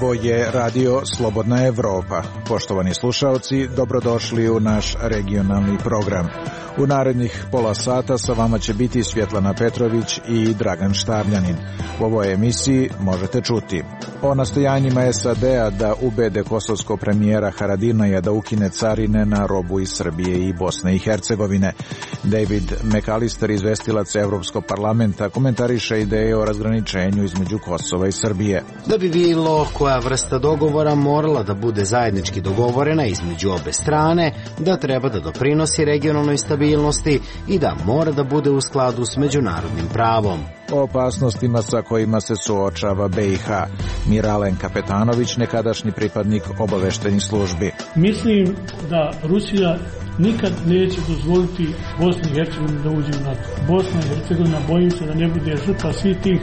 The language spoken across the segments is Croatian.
Ovo je radio Slobodna Evropa. Poštovani slušaoci, dobrodošli u naš regionalni program. U narednih pola sata sa vama će biti Svjetlana Petrović i Dragan Štavljanin. U ovoj emisiji možete čuti o nastojanjima SAD-a da ubede kosovskog premijera Haradinaja da ukine carine na robu iz Srbije i Bosne i Hercegovine. David McAllister, izvestilac Evropskog parlamenta, komentariše ideje o razgraničenju između Kosova i Srbije. Da bi bilo koja vrsta dogovora morala da bude zajednički dogovorena između obe strane, da treba da doprinosi regionalnoj stabilnosti i da mora da bude u skladu s međunarodnim pravom. O opasnostima sa kojima se suočava BiH. Miralen Kapetanović, nekadašnji pripadnik obaveštajnih službi. Mislim da Rusija nikad neće dozvoliti Bosni i Hercegovini da uđe u NATO. Bosna i Hercegovina, bojim se da ne bude žrtva svih tih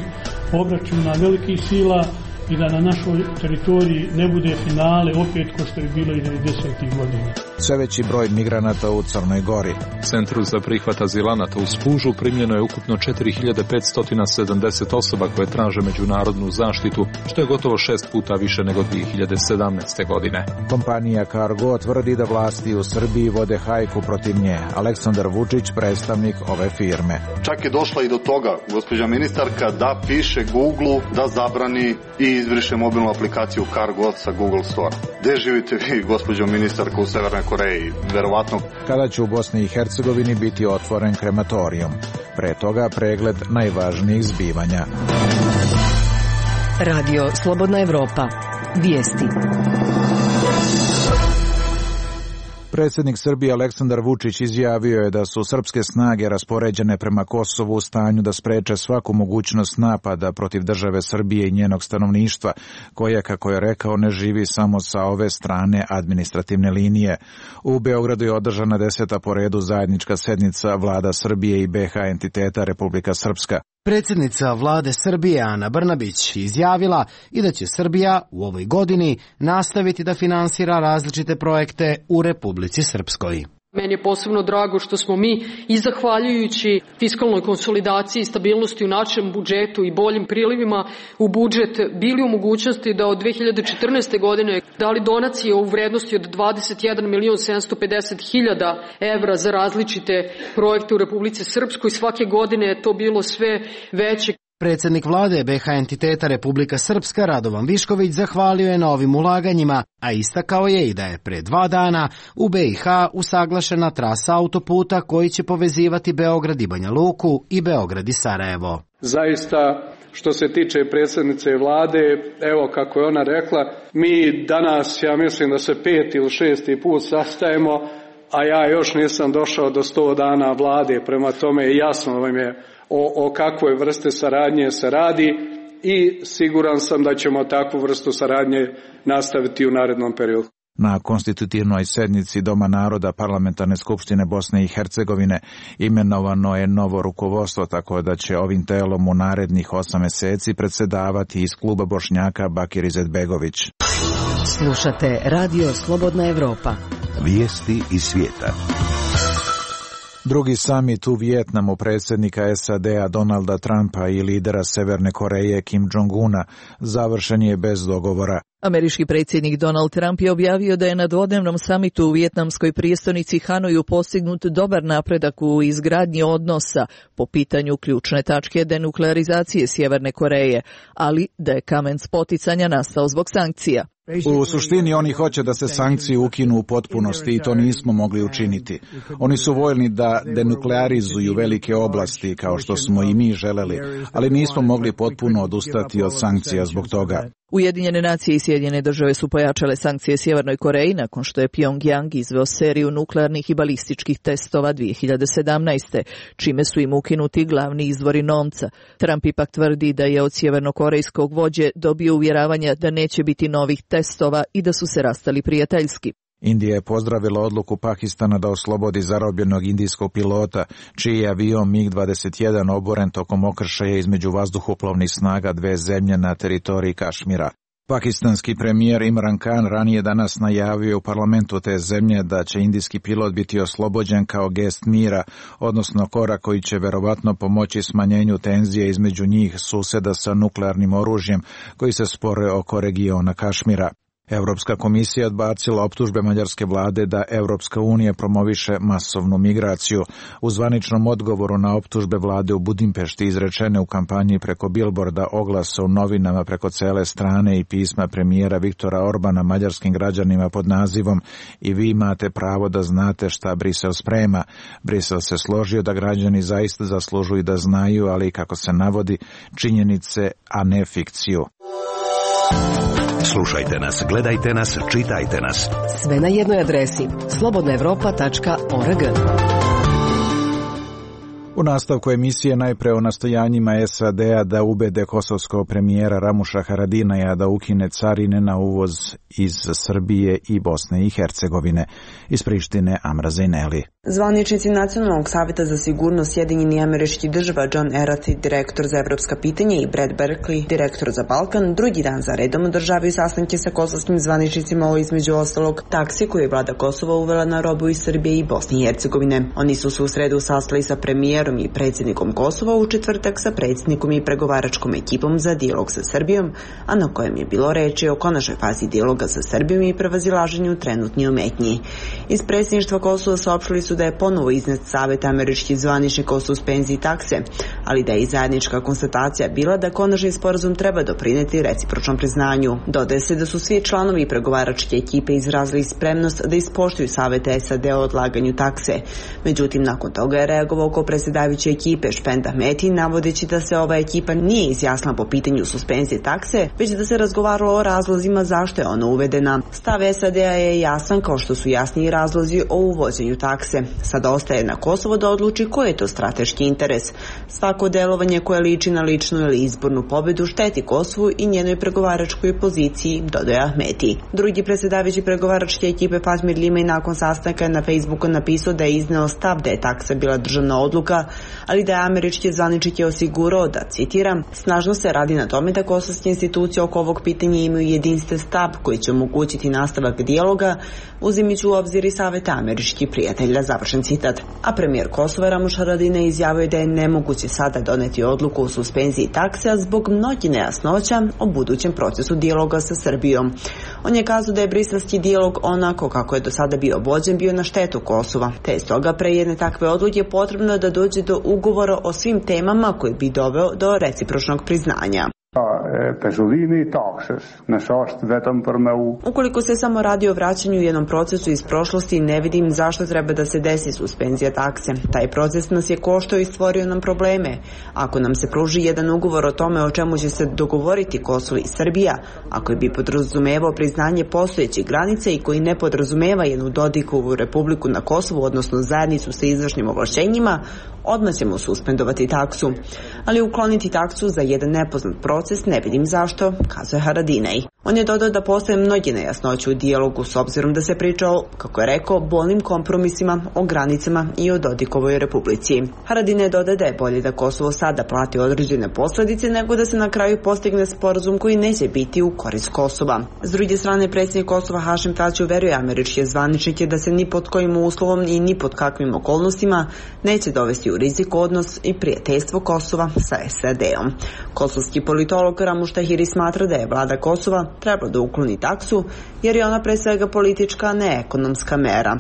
obračuna velikih sila i da na našoj teritoriji ne bude finale opet ko što je bilo i 90. godina. Sve veći broj migranata u Crnoj Gori. Centru za prihvat azilanata u Spužu primljeno je ukupno 4570 osoba koje traže međunarodnu zaštitu, što je gotovo 6 puta više nego 2017. godine. Kompanija Cargo tvrdi da vlasti u Srbiji vode hajku protiv nje. Aleksandar Vučić, predstavnik ove firme. Čak je došla i do toga, gospođa ministarka, da piše Google da zabrani i izbriše mobilnu aplikaciju Cargo sa Google Store. Gde živite vi, gospođo ministarka, u Severnoj Koreji? Verovatno. Kada će u Bosni i Hercegovini biti otvoren krematorijum? Pre toga pregled najvažnijih zbivanja. Radio Slobodna Evropa. Vijesti. Predsjednik Srbije Aleksandar Vučić izjavio je da su srpske snage raspoređene prema Kosovu u stanju da spreče svaku mogućnost napada protiv države Srbije i njenog stanovništva, koje, kako je rekao, ne živi samo sa ove strane administrativne linije. U Beogradu je održana 10. po redu zajednička sednica vlada Srbije i BiH entiteta Republika Srpska. Predsjednica vlade Srbije Ana Brnabić izjavila i da će Srbija u ovoj godini nastaviti da finansira različite projekte u Republici Srpskoj. Meni je posebno drago što smo mi i zahvaljujući fiskalnoj konsolidaciji i stabilnosti u našem budžetu i boljim prilivima u budžet bili u mogućnosti da od 2014. godine dali donacije u vrednosti od 21.750.000 evra za različite projekte u Republici Srpskoj. Svake godine je to bilo sve veće. Predsjednik vlade BiH entiteta Republika Srpska Radovan Višković zahvalio je na ovim ulaganjima, a istakao je i da je pre 2 dana u BiH usaglašena trasa autoputa koji će povezivati Beograd i Banja Luku i Beograd i Sarajevo. Zaista, što se tiče predsjednice vlade, evo kako je ona rekla, mi danas, ja mislim da se 5. ili 6. put sastajemo, a ja još nisam došao do 100 dana vlade, prema tome jasno vam je o kakvoj vrste saradnje se radi i siguran sam da ćemo takvu vrstu saradnje nastaviti u narednom periodu. Na konstitutivnoj sednici Doma naroda Parlamentarne skupštine Bosne i Hercegovine imenovano je novo rukovodstvo, tako da će ovim telom u narednih 8 meseci predsedavati iz kluba Bošnjaka Bakir Izetbegović. Slušate Radio Slobodna Evropa. Vijesti iz svijeta. Drugi samit u Vijetnamu predsjednika SAD-a Donalda Trumpa i lidera Severne Koreje Kim Jong-una završen je bez dogovora. Američki predsjednik Donald Trump je objavio da je na dvodnevnom samitu u vijetnamskoj prijestolnici Hanoju postignut dobar napredak u izgradnji odnosa po pitanju ključne tačke denuklearizacije Sjeverne Koreje, ali da je kamen spoticanja nastao zbog sankcija. U suštini oni hoće da se sankcije ukinu u potpunosti i to nismo mogli učiniti. Oni su voljni da denuklearizuju velike oblasti kao što smo i mi želeli, ali nismo mogli potpuno odustati od sankcija zbog toga. Ujedinjene nacije i Sjedinjene države su pojačale sankcije Sjevernoj Koreji nakon što je Pyongyang izveo seriju nuklearnih i balističkih testova 2017. čime su im ukinuti glavni izvori novca. Trump ipak tvrdi da je od sjevernokorejskog vođe dobio uvjeravanja da neće biti novih testova i da su se rastali prijateljski. Indija je pozdravila odluku Pakistana da oslobodi zarobljenog indijskog pilota, čiji je avion MiG-21 oboren tokom okršaja između vazduhoplovnih snaga dve zemlje na teritoriji Kašmira. Pakistanski premijer Imran Khan ranije danas najavio u parlamentu te zemlje da će indijski pilot biti oslobođen kao gest mira, odnosno korak koji će verovatno pomoći smanjenju tenzije između njih suseda sa nuklearnim oružjem koji se spore oko regiona Kašmira. Europska komisija odbacila optužbe mađarske vlade da Europska unija promoviše masovnu migraciju. U zvaničnom odgovoru na optužbe vlade u Budimpešti izrečene u kampanji preko bilborda, oglasa u novinama preko cele strane i pisma premijera Viktora Orbana mađarskim građanima pod nazivom "I vi imate pravo da znate šta Brisel sprema". Brisel se složio da građani zaista zaslužuju da znaju, ali kako se navodi, činjenice, a ne fikciju. Slušajte nas, gledajte nas, čitajte nas. Sve na jednoj adresi slobodnaevropa.org. U nastavku emisije najpre o nastojanjima SAD-a da ubede kosovskog premijera Ramuša Haradinaja da ukine carine na uvoz iz Srbije i Bosne i Hercegovine. Iz Prištine Amra Zejneli. Zvaničnici Nacionalnog savjeta za sigurnost Sjedinjenih Američkih Država John Erath, direktor za evropska pitanja, i Brad Berkeley, direktor za Balkan, drugi dan za redom održavaju sastanke sa kosovskim zvaničnicima o, između ostalog, taksi koju je vlada Kosova uvela na robu iz Srbije i Bosne i Hercegovine. Oni su se u sredu sastali sa premijerom i predsjednikom Kosova, u četvrtak sa predsjednikom i pregovaračkom ekipom za dijalog sa Srbijom, a na kojem je bilo reči o konačnoj fazi dijaloga sa Srbijom i prevazilaženju trenutnih ometnji. Iz predsjedništva Kosova saopštili su da je ponovo iznet Savjet američkih zvaničnika o suspenziji takse, ali da je i zajednička konstatacija bila da konačni sporazum treba doprineti recipročnom priznanju. Dodaje se da su svi članovi pregovaračke ekipe izrazili spremnost da ispoštuju savjete SAD o odlaganju takse. Međutim, nakon toga je reagovao predsjedavajuće ekipe Špend Ahmeti, navodeći da se ova ekipa nije izjasnila po pitanju suspenzije takse, već da se razgovaralo o razlozima zašto je ona uvedena. Stav SAD-a je jasan, kao što su jasni i razlozi o uvođenju takse. Sada ostaje na Kosovo da odluči koji je to strateški interes. Svako delovanje koje liči na ličnu ili izbornu pobedu šteti Kosovu i njenoj pregovaračkoj poziciji, dodaje Ahmeti. Drugi predsjedavajući pregovaračke ekipe Fatmir Limaj nakon sastanka na Facebooku napisao da je izneo stav da je taksa bila državna odluka, ali da je američki zvaničnik je osigurao da, citiram, snažno se radi na tome da kosovske institucije oko ovog pitanja imaju jedinstven stav koji će omogućiti nastavak dijaloga, uzimajući u obzir i savjeta američkih prijatelja, završen citat. A premijer Kosova Ramuš Haradinaj izjavio da je nemoguće sada doneti odluku o suspenziji takse zbog mnogih nejasnoća o budućem procesu dijaloga sa Srbijom. On je kazao da je briselski dijalog onako kako je do sada bio vođen bio na štetu Kosova, te je stoga pre jedne takve odluke potrebno da dođe do ugovora o svim temama koji bi doveo do recipročnog priznanja. Ukoliko se samo radi o vraćanju jednom procesu iz prošlosti, ne vidim zašto treba da se desi suspenzija takse. Taj proces nas je koštao i stvorio nam probleme. Ako nam se pruži jedan ugovor o tome o čemu će se dogovoriti Kosovo i Srbija, ako bi podrazumevao priznanje postojećih granica i koji ne podrazumeva jednu Dodikovu republiku na Kosovu, odnosno zajednicu sa izvršnim ovlašćenjima, odmah ćemo suspendovati taksu. Ali ukloniti taksu za jedan nepoznat proces ne vidim zašto, kazuje Haradinaj. On je dodao da postoje mnogi nejasnoće u dijalogu s obzirom da se priča o, kako je rekao, bolnim kompromisima o granicama i o Dodikovoj republici. Haradinaj dodaje da je bolje da Kosovo sada plati određene posljedice nego da se na kraju postigne sporazum koji neće biti u korist Kosova. S druge strane, predsjednik Kosova Hašim Tači uveruje američke zvaničnike da se ni pod kojim uslovom i ni pod kakvim okolnostima neće dovesti u rizik odnos i prijateljstvo Kosova sa SAD-om. Kosovski politolog Ramuš Tahiri smatra da je vlada Kosova trebalo da ukloni taksu jer je ona pre svega politička, a ne ekonomska mera.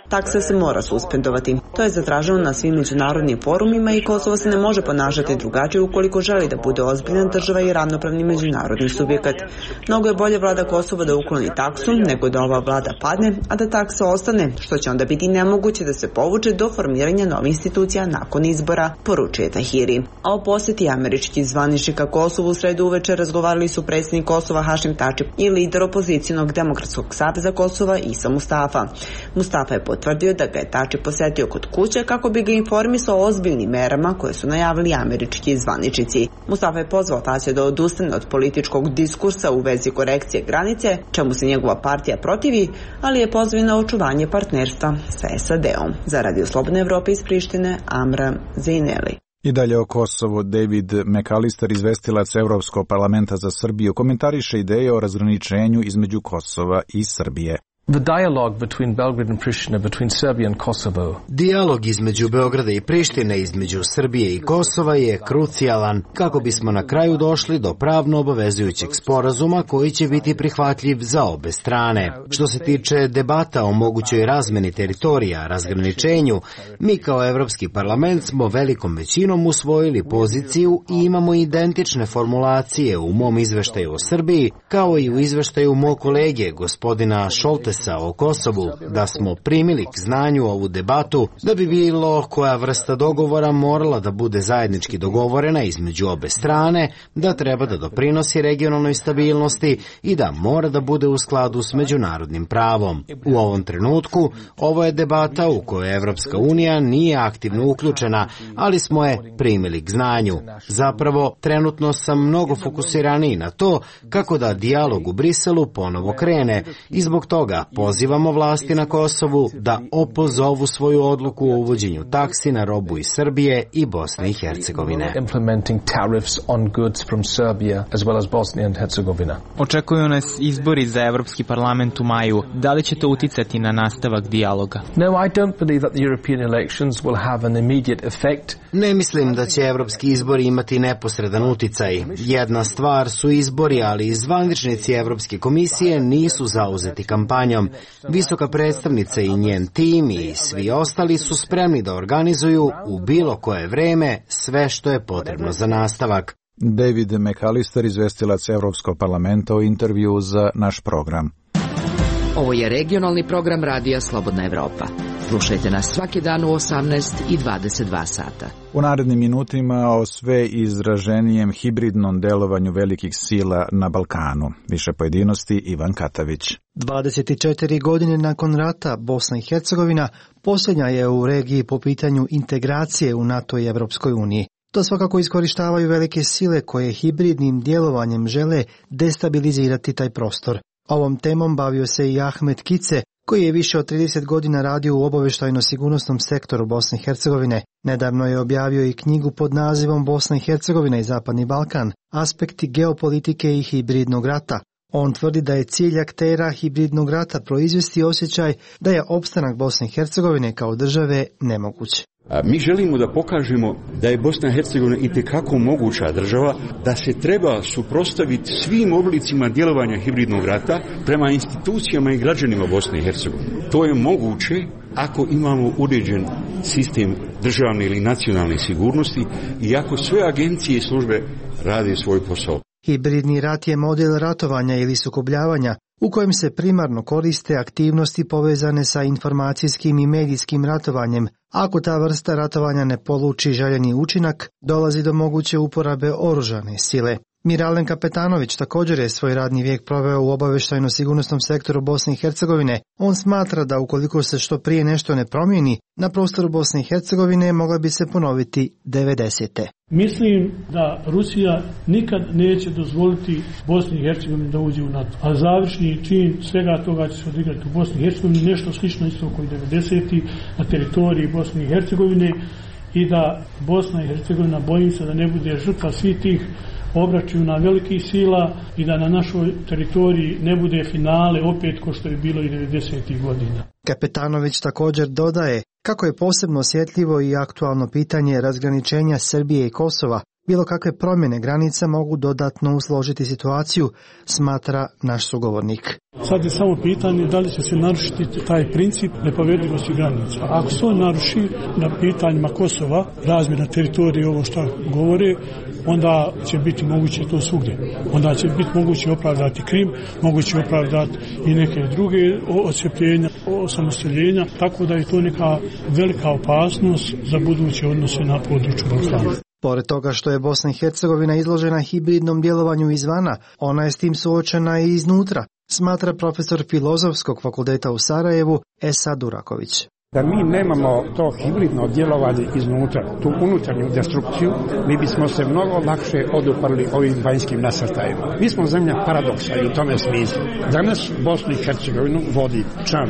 Taksa se mora suspendovati. To je zatraženo na svim međunarodnim forumima i Kosovo se ne može ponašati drugačije ukoliko želi da bude ozbiljna država i ravnopravni međunarodni subjekat. Mnogo je bolje vlada Kosova da ukloni taksu nego da ova vlada padne, a da taksa ostane, što će onda biti nemoguće da se povuče do formiranja novih institucija nakon izbora, poručuje Tahiri. A o posjeti američkih zvaničnika Kosovu u sredu uveče razgovarali su predsjednik Kosova Hašim Tači i lider opozicionog Demokratskog saveza Kosova Isa Mustafa. Mustafa je potvrdio da ga je Tači posetio kod kuće kako bi ga informisao o ozbiljnim merama koje su najavili američki zvaničnici. Mustafa je pozvao Tačija da odustane od političkog diskursa u vezi korekcije granice, čemu se njegova partija protivi, ali je pozvao na očuvanje partnerstva sa SAD-om. Za Radio Slobodne Evrope iz Prištine, Amra Zejneli. I dalje o Kosovu, David McAllister, izvestilac Evropskog parlamenta za Srbiju, komentariše ideje o razgraničenju između Kosova i Srbije. The dialogue between Belgrade and Pristina, between Serbia and Kosovo. Dijalog između Beograda i Prištine, između Srbije i Kosova je krucijalan kako bismo na kraju došli do pravno obavezujućeg sporazuma koji će biti prihvatljiv za obe strane. Što se tiče debata o mogućoj razmeni teritorija, razgraničenju, mi kao Evropski parlament smo velikom većinom usvojili poziciju i imamo identične formulacije u mom izveštaju o Srbiji, kao i u izveštaju mog kolege, gospodina Šoltesa, o Kosovu, da smo primili k znanju ovu debatu, da bi bilo koja vrsta dogovora morala da bude zajednički dogovorena između obe strane, da treba da doprinosi regionalnoj stabilnosti i da mora da bude u skladu s međunarodnim pravom. U ovom trenutku ovo je debata u kojoj Evropska unija nije aktivno uključena, ali smo je primili k znanju. Zapravo, trenutno sam mnogo fokusiraniji na to kako da dijalog u Briselu ponovo krene i zbog toga pozivamo vlasti na Kosovu da opozovu svoju odluku o uvođenju taksi na robu iz Srbije i Bosne i Hercegovine. Očekuju nas izbori za Evropski parlament u maju. Da li će to uticati na nastavak dijaloga? Ne mislim da će evropski izbori imati neposredan uticaj. Jedna stvar su izbori, ali zvaničnici Evropske komisije nisu zauzeti kampanjom. Visoka predstavnica i njen tim i svi ostali su spremni da organizuju u bilo koje vreme sve što je potrebno za nastavak. David McAllister, izvestilac Evropskog parlamenta, u intervju za naš program. Ovo je regionalni program Radija Slobodna Evropa. Slušajte nas svaki dan u 18 i 22 sata. U narednim minutima o sve izraženijem hibridnom delovanju velikih sila na Balkanu. Više pojedinosti Ivan Katavić. 24 godine nakon rata Bosna i Hercegovina posljednja je u regiji po pitanju integracije u NATO i Evropskoj uniji. To svakako iskorištavaju velike sile koje hibridnim djelovanjem žele destabilizirati taj prostor. Ovom temom bavio se i Ahmet Kice, koji je više od 30 godina radio u obavještajno-sigurnosnom sektoru Bosne i Hercegovine. Nedavno je objavio i knjigu pod nazivom Bosna i Hercegovina i Zapadni Balkan, aspekti geopolitike i hibridnog rata. On tvrdi da je cilj aktera hibridnog rata proizvesti osjećaj da je opstanak Bosne i Hercegovine kao države nemoguć. Mi želimo da pokažemo da je Bosna i Hercegovina itekako moguća država, da se treba suprotstaviti svim oblicima djelovanja hibridnog rata prema institucijama i građanima Bosne i Hercegovine. To je moguće ako imamo uređen sistem državne ili nacionalne sigurnosti i ako sve agencije i službe rade svoj posao. Hibridni rat je model ratovanja ili sukobljavanja u kojem se primarno koriste aktivnosti povezane sa informacijskim i medijskim ratovanjem. Ako ta vrsta ratovanja ne poluči željeni učinak, dolazi do moguće uporabe oružane sile. Miralen Kapetanović također je svoj radni vijek proveo u obavještajno-sigurnosnom sektoru Bosne i Hercegovine. On smatra da ukoliko se što prije nešto ne promijeni, na prostoru Bosne i Hercegovine mogla bi se ponoviti 90. Mislim da Rusija nikad neće dozvoliti Bosni i Hercegovini da uđe u NATO. A završni čin svega toga će se odigrati u Bosni i Hercegovini, nešto slično isto kao i 90. na teritoriji Bosne i Hercegovine i da Bosna i Hercegovina, bojim se da ne bude žrtva svih tih obračuna velikih sila i da na našoj teritoriji ne bude finale opet ko što je bilo i 90. godina. Kapetanović također dodaje kako je posebno osjetljivo i aktualno pitanje razgraničenja Srbije i Kosova. Bilo kakve promjene granica mogu dodatno usložiti situaciju, smatra naš sugovornik. Sad je samo pitanje da li će se narušiti taj princip nepovredivosti granica. Ako se on naruši na pitanjima Kosova, razmjena teritorije, ovo što govore, onda će biti moguće to svugdje. Onda će biti moguće opravdati Krim, moguće opravdati i neke druge odcepljenja, osamostaljenja, tako da je to neka velika opasnost za buduće odnose na području Balkana. Pored toga što je Bosna i Hercegovina izložena hibridnom djelovanju izvana, ona je s tim suočena i iznutra, smatra profesor Filozofskog fakulteta u Sarajevu Esad Duraković. Da mi nemamo to hibridno djelovanje iznutra, tu unutarnju destrukciju, mi bismo se mnogo lakše oduprli ovim vanjskim nasrtajima. Mi smo zemlja paradoksa i u tome smislu. Danas Bosnu i Hercegovinu vodi član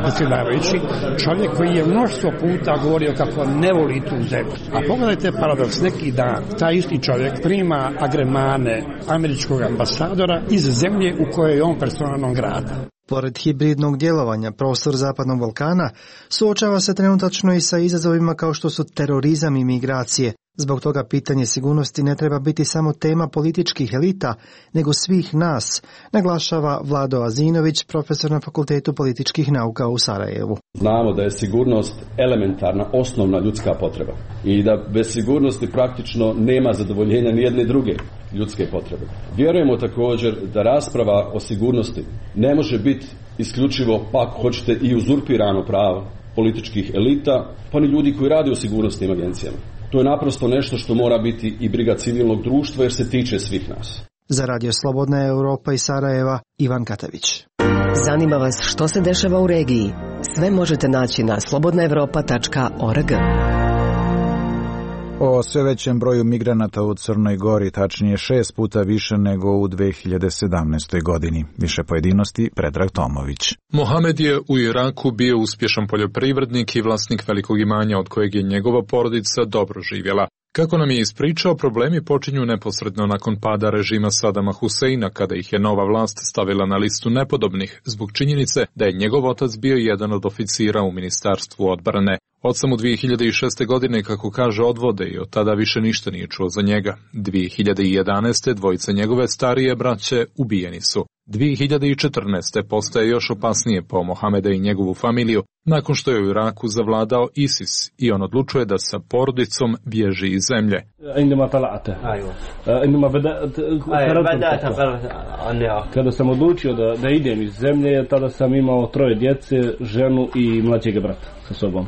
predsjedavajući, čovjek koji je mnoštvo puta govorio kako ne voli tu zemlju. A pogledajte paradoks, neki dan taj isti čovjek prima agremane američkog ambasadora iz zemlje u kojoj je on personalnom grada. Pored hibridnog djelovanja, prostor Zapadnog Balkana suočava se trenutačno i sa izazovima kao što su terorizam i migracije. Zbog toga pitanje sigurnosti ne treba biti samo tema političkih elita, nego svih nas, naglašava Vlado Azinović, profesor na Fakultetu političkih nauka u Sarajevu. Znamo da je sigurnost elementarna, osnovna ljudska potreba i da bez sigurnosti praktično nema zadovoljenja ni jedne druge ljudske potrebe. Vjerujemo također da rasprava o sigurnosti ne može biti isključivo, pa ako hoćete, i uzurpirano pravo političkih elita, pa ni ljudi koji rade u sigurnosnim agencijama. To je naprosto nešto što mora biti i briga civilnog društva jer se tiče svih nas. Za Radio Slobodna Europa iz Sarajeva, Ivan Katavić. Zanima vas što se dešava u regiji? Sve možete naći na slobodnaevropa.org. O sve većem broju migranata u Crnoj Gori, tačnije 6 puta više nego u 2017. godini. Više pojedinosti, Predrag Tomović. Mohamed je u Iraku bio uspješan poljoprivrednik i vlasnik velikog imanja od kojeg je njegova porodica dobro živjela. Kako nam je ispričao, problemi počinju neposredno nakon pada režima Sadama Huseina, kada ih je nova vlast stavila na listu nepodobnih, zbog činjenice da je njegov otac bio jedan od oficira u Ministarstvu odbrane. Od samo 2006. godine, kako kaže, odvode i od tada više ništa nije čuo za njega. 2011. dvojica njegove starije braće ubijeni su. 2014. postaje još opasnije po Mohameda i njegovu familiju, nakon što je u Iraku zavladao ISIS i on odlučuje da sa porodicom bježi iz zemlje. Kada sam odlučio da idem iz zemlje, tada sam imao 3 djece, ženu i mlađeg brata sa sobom.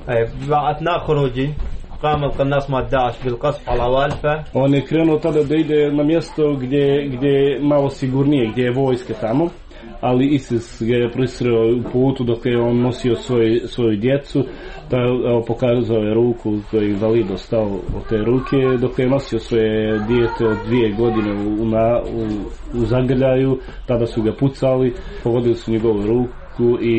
On je krenuo tada da ide na mjesto gdje je malo sigurnije, gdje je vojske tamo, ali ISIS ga je prisreo u putu dok je on nosio svoju djecu, pokazao je ruku koji je valido stao od te ruke, dok je nosio svoje dijete od 2 godine u zagrljaju, tada su ga pucali, pogodili su njegovu ruku i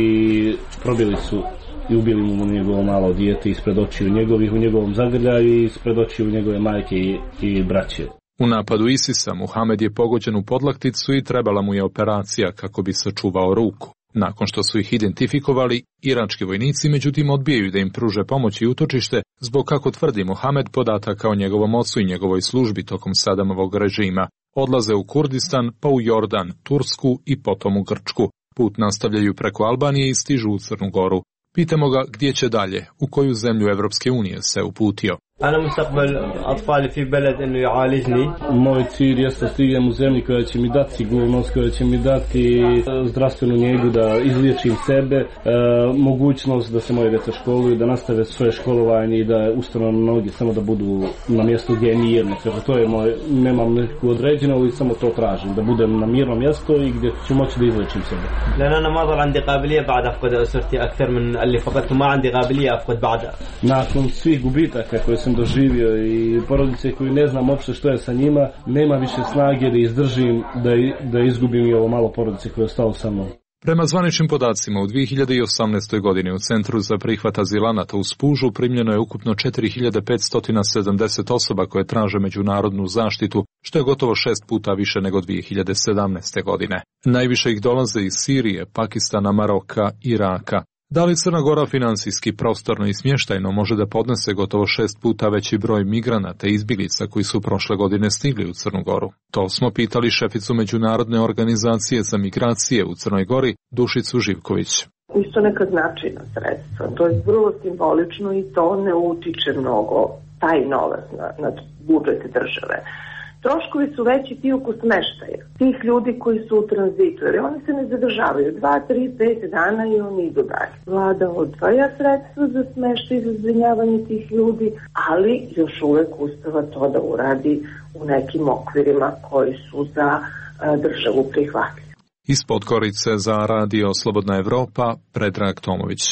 probili su i ubili mu njegovo malo dijete ispred očiju njegovih u njegovom zagrljaju i ispred očiju njegove majke i braće. U napadu ISIS-a Muhamed je pogođen u podlakticu i trebala mu je operacija kako bi sačuvao ruku. Nakon što su ih identifikovali, irački vojnici međutim odbijaju da im pruže pomoć i utočište zbog, kako tvrdi Muhamed, podataka o njegovom ocu i njegovoj službi tokom Sadamovog režima. Odlaze u Kurdistan, pa u Jordan, Tursku i potom u Grčku. Put nastavljaju preko Albanije i stižu u Crnu Goru. Pitamo ga gdje će dalje, u koju zemlju Evropske unije se uputio. Moj cilj je da stignem u zemlji koja će mi dati sigurnost, koja će mi dati zdravstvenu njegu, da izliječim sebe, mogućnost da se moje djeca školuju, da nastave svoje školovanje i da ustanu na noge, samo da budu na mjestu gdje je mirno. To je moj, nemam neku određenu, ali samo to tražim, da budem na mirnom mjestu i gdje ću moći da izliječim sebe. Nakon svih gubitaka koje sam doživio i porodice koju ne znam uopšte što je sa njima, nema više snage da izdržim, da izgubim i ovo malo porodice koje je ostalo sa mnom. Prema zvaničnim podacima, u 2018. godini u Centru za prihvat azilanata u Spužu primljeno je ukupno 4570 osoba koje traže međunarodnu zaštitu, što je gotovo 6 puta više nego 2017. godine. Najviše ih dolaze iz Sirije, Pakistana, Maroka, Iraka. Da li Crna Gora financijski, prostorno i smještajno može da podnese gotovo 6 puta veći broj migranata i izbjeglica koji su prošle godine stigli u Crnu Goru? To smo pitali šeficu Međunarodne organizacije za migracije u Crnoj Gori, Dušicu Živković. Isto neka značajna sredstva, to je vrlo simbolično i to ne utiče mnogo taj novac na budžet države. Troškovi su veći ti oko smeštaja, tih ljudi koji su u tranzitu, jer oni se ne zadržavaju 2, 3, 5 dana i oni idu dalje. Vlada odvaja sredstva za smeštaj i za zbrinjavanje tih ljudi, ali još uvek uspeva to da uradi u nekim okvirima koji su za državu prihvatljivi. Iz Podgorice za Radio Slobodna Evropa, Predrag Tomović.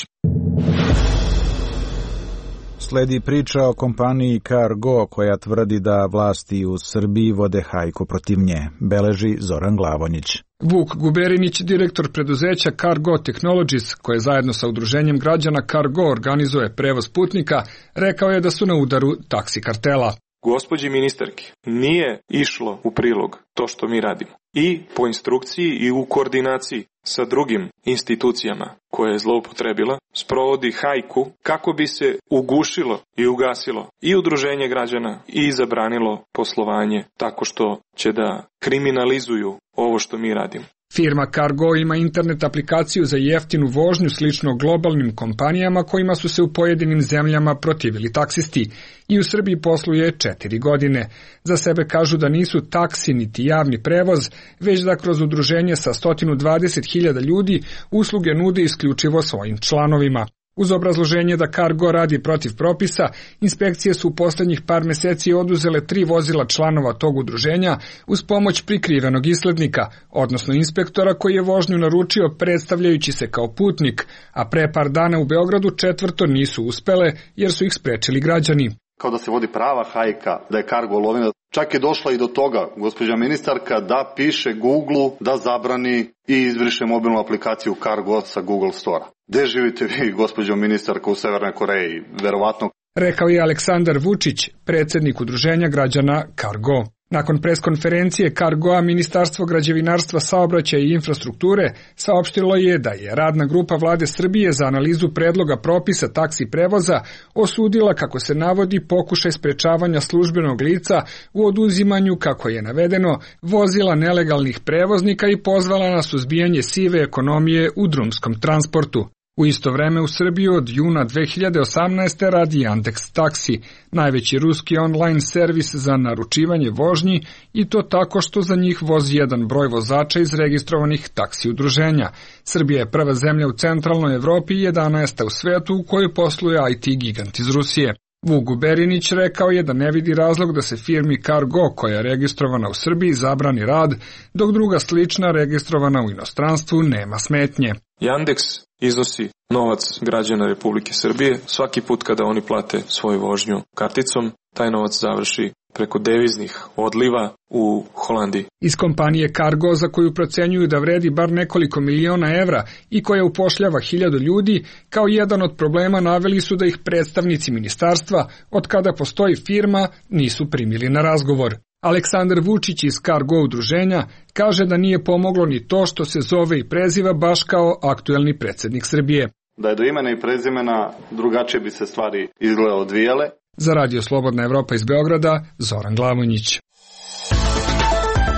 Sledi priča o kompaniji Cargo koja tvrdi da vlasti u Srbiji vode hajku protiv nje, beleži Zoran Glavonjić. Vuk Guberinić, direktor preduzeća Cargo Technologies, koje zajedno sa udruženjem građana Cargo organizuje prevoz putnika, rekao je da su na udaru taksi kartela. Gospođi ministarki nije išlo u prilog to što mi radimo. I po instrukciji i u koordinaciji sa drugim institucijama koje je zloupotrebila, sprovodi hajku kako bi se ugušilo i ugasilo i udruženje građana i zabranilo poslovanje tako što će da kriminalizuju ovo što mi radimo. Firma Cargo ima internet aplikaciju za jeftinu vožnju slično globalnim kompanijama kojima su se u pojedinim zemljama protivili taksisti i u Srbiji posluje 4 godine. Za sebe kažu da nisu taksi niti javni prevoz, već da kroz udruženje sa 120.000 ljudi usluge nude isključivo svojim članovima. Uz obrazloženje da Cargo radi protiv propisa, inspekcije su u poslednjih par meseci oduzele 3 vozila članova tog udruženja uz pomoć prikrivenog islednika, odnosno inspektora koji je vožnju naručio predstavljajući se kao putnik, a pre par dana u Beogradu 4 nisu uspele jer su ih sprečili građani. Kao da se vodi prava hajka, da je Cargo lovina. Čak je došla i do toga, gospođa ministarka, da piše Google da zabrani i izbriše mobilnu aplikaciju Cargo sa Google Store. Gde živite vi, gospođo ministarka, u Severnoj Koreji? Verovatno. Rekao je Aleksandar Vučić, predsjednik udruženja građana Cargo. Nakon preskonferencije Cargoa, Ministarstvo građevinarstva, saobraćaja i infrastrukture saopštilo je da je radna grupa vlade Srbije za analizu predloga propisa taksi prevoza osudila, kako se navodi, pokušaj sprečavanja službenog lica u oduzimanju, kako je navedeno, vozila nelegalnih prevoznika i pozvala na suzbijanje sive ekonomije u drumskom transportu. U isto vreme u Srbiji od juna 2018. radi Yandex Taksi, najveći ruski online servis za naručivanje vožnji, i to tako što za njih vozi jedan broj vozača iz registrovanih taksi udruženja. Srbija je prva zemlja u centralnoj Evropi i 11. u svetu u kojoj posluje IT gigant iz Rusije. Vuk Guberinić rekao je da ne vidi razlog da se firmi Cargo, koja je registrovana u Srbiji, zabrani rad, dok druga slična registrovana u inostranstvu nema smetnje. Yandex iznosi novac građana Republike Srbije. Svaki put kada oni plate svoju vožnju karticom, taj novac završi preko deviznih odliva u Holandiji. Iz kompanije Cargo, za koju procenjuju da vredi bar nekoliko miliona evra i koja upošljava 1000 ljudi, kao jedan od problema naveli su da ih predstavnici ministarstva, od kada postoji firma, nisu primili na razgovor. Aleksandar Vučić iz Cargo udruženja kaže da nije pomoglo ni to što se zove i preziva baš kao aktuelni predsjednik Srbije. Da je do imena i prezimena, drugačije bi se stvari izgleda odvijale. Za Radio Slobodna Evropa iz Beograda, Zoran Glavonjić.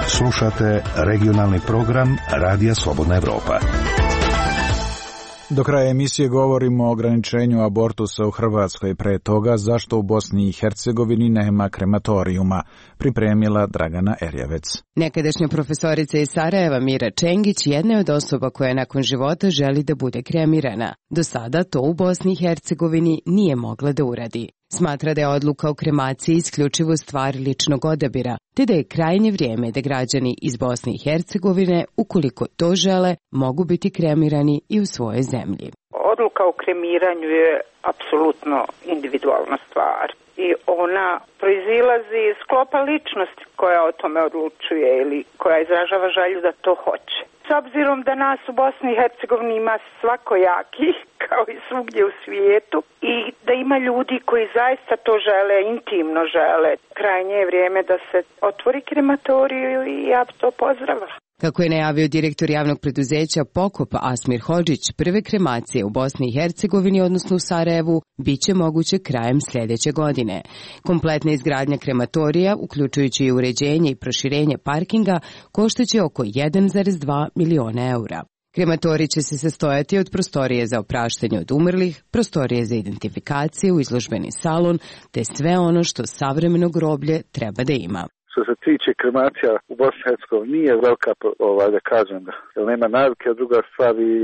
Slušate regionalni program Radija Slobodna Evropa. Do kraja emisije govorimo o ograničenju abortusa u Hrvatskoj, pre toga zašto u Bosni i Hercegovini nema krematorijuma, pripremila Dragana Erjavec. Nekadašnja profesorica iz Sarajeva Mira Čengić jedna je od osoba koja nakon života želi da bude kremirana. Do sada to u Bosni i Hercegovini nije mogla da uradi. Smatra da je odluka o kremaciji isključivo stvar ličnog odabira, te da je krajnje vrijeme da građani iz Bosne i Hercegovine, ukoliko to žele, mogu biti kremirani i u svojoj zemlji. Odluka o kremiranju je apsolutno individualna stvar i ona proizilazi iz sklopa ličnosti koja o tome odlučuje ili koja izražava želju da to hoće. S obzirom da nas u Bosni i Hercegovini ima svakojakih, kao i svugdje u svijetu, i da ima ljudi koji zaista to žele, intimno žele, krajnje je vrijeme da se otvori krematoriju i ja bi to pozdravila. Kako je najavio direktor javnog preduzeća Pokop Asmir Hodžić, prve kremacije u Bosni i Hercegovini, odnosno u Sarajevu, bit će moguće krajem sljedeće godine. Kompletna izgradnja krematorija, uključujući i uređenje i proširenje parkinga, koštaće oko 1,2 miliona eura. Krematorij će se sastojati od prostorije za opraštanje od umrlih, prostorije za identifikaciju, izložbeni salon, te sve ono što savremeno groblje treba da ima. Što se tiče kremacija u Bosni i Hercegovini nije velika, da kažem, jer nema navike, a druga stvar i,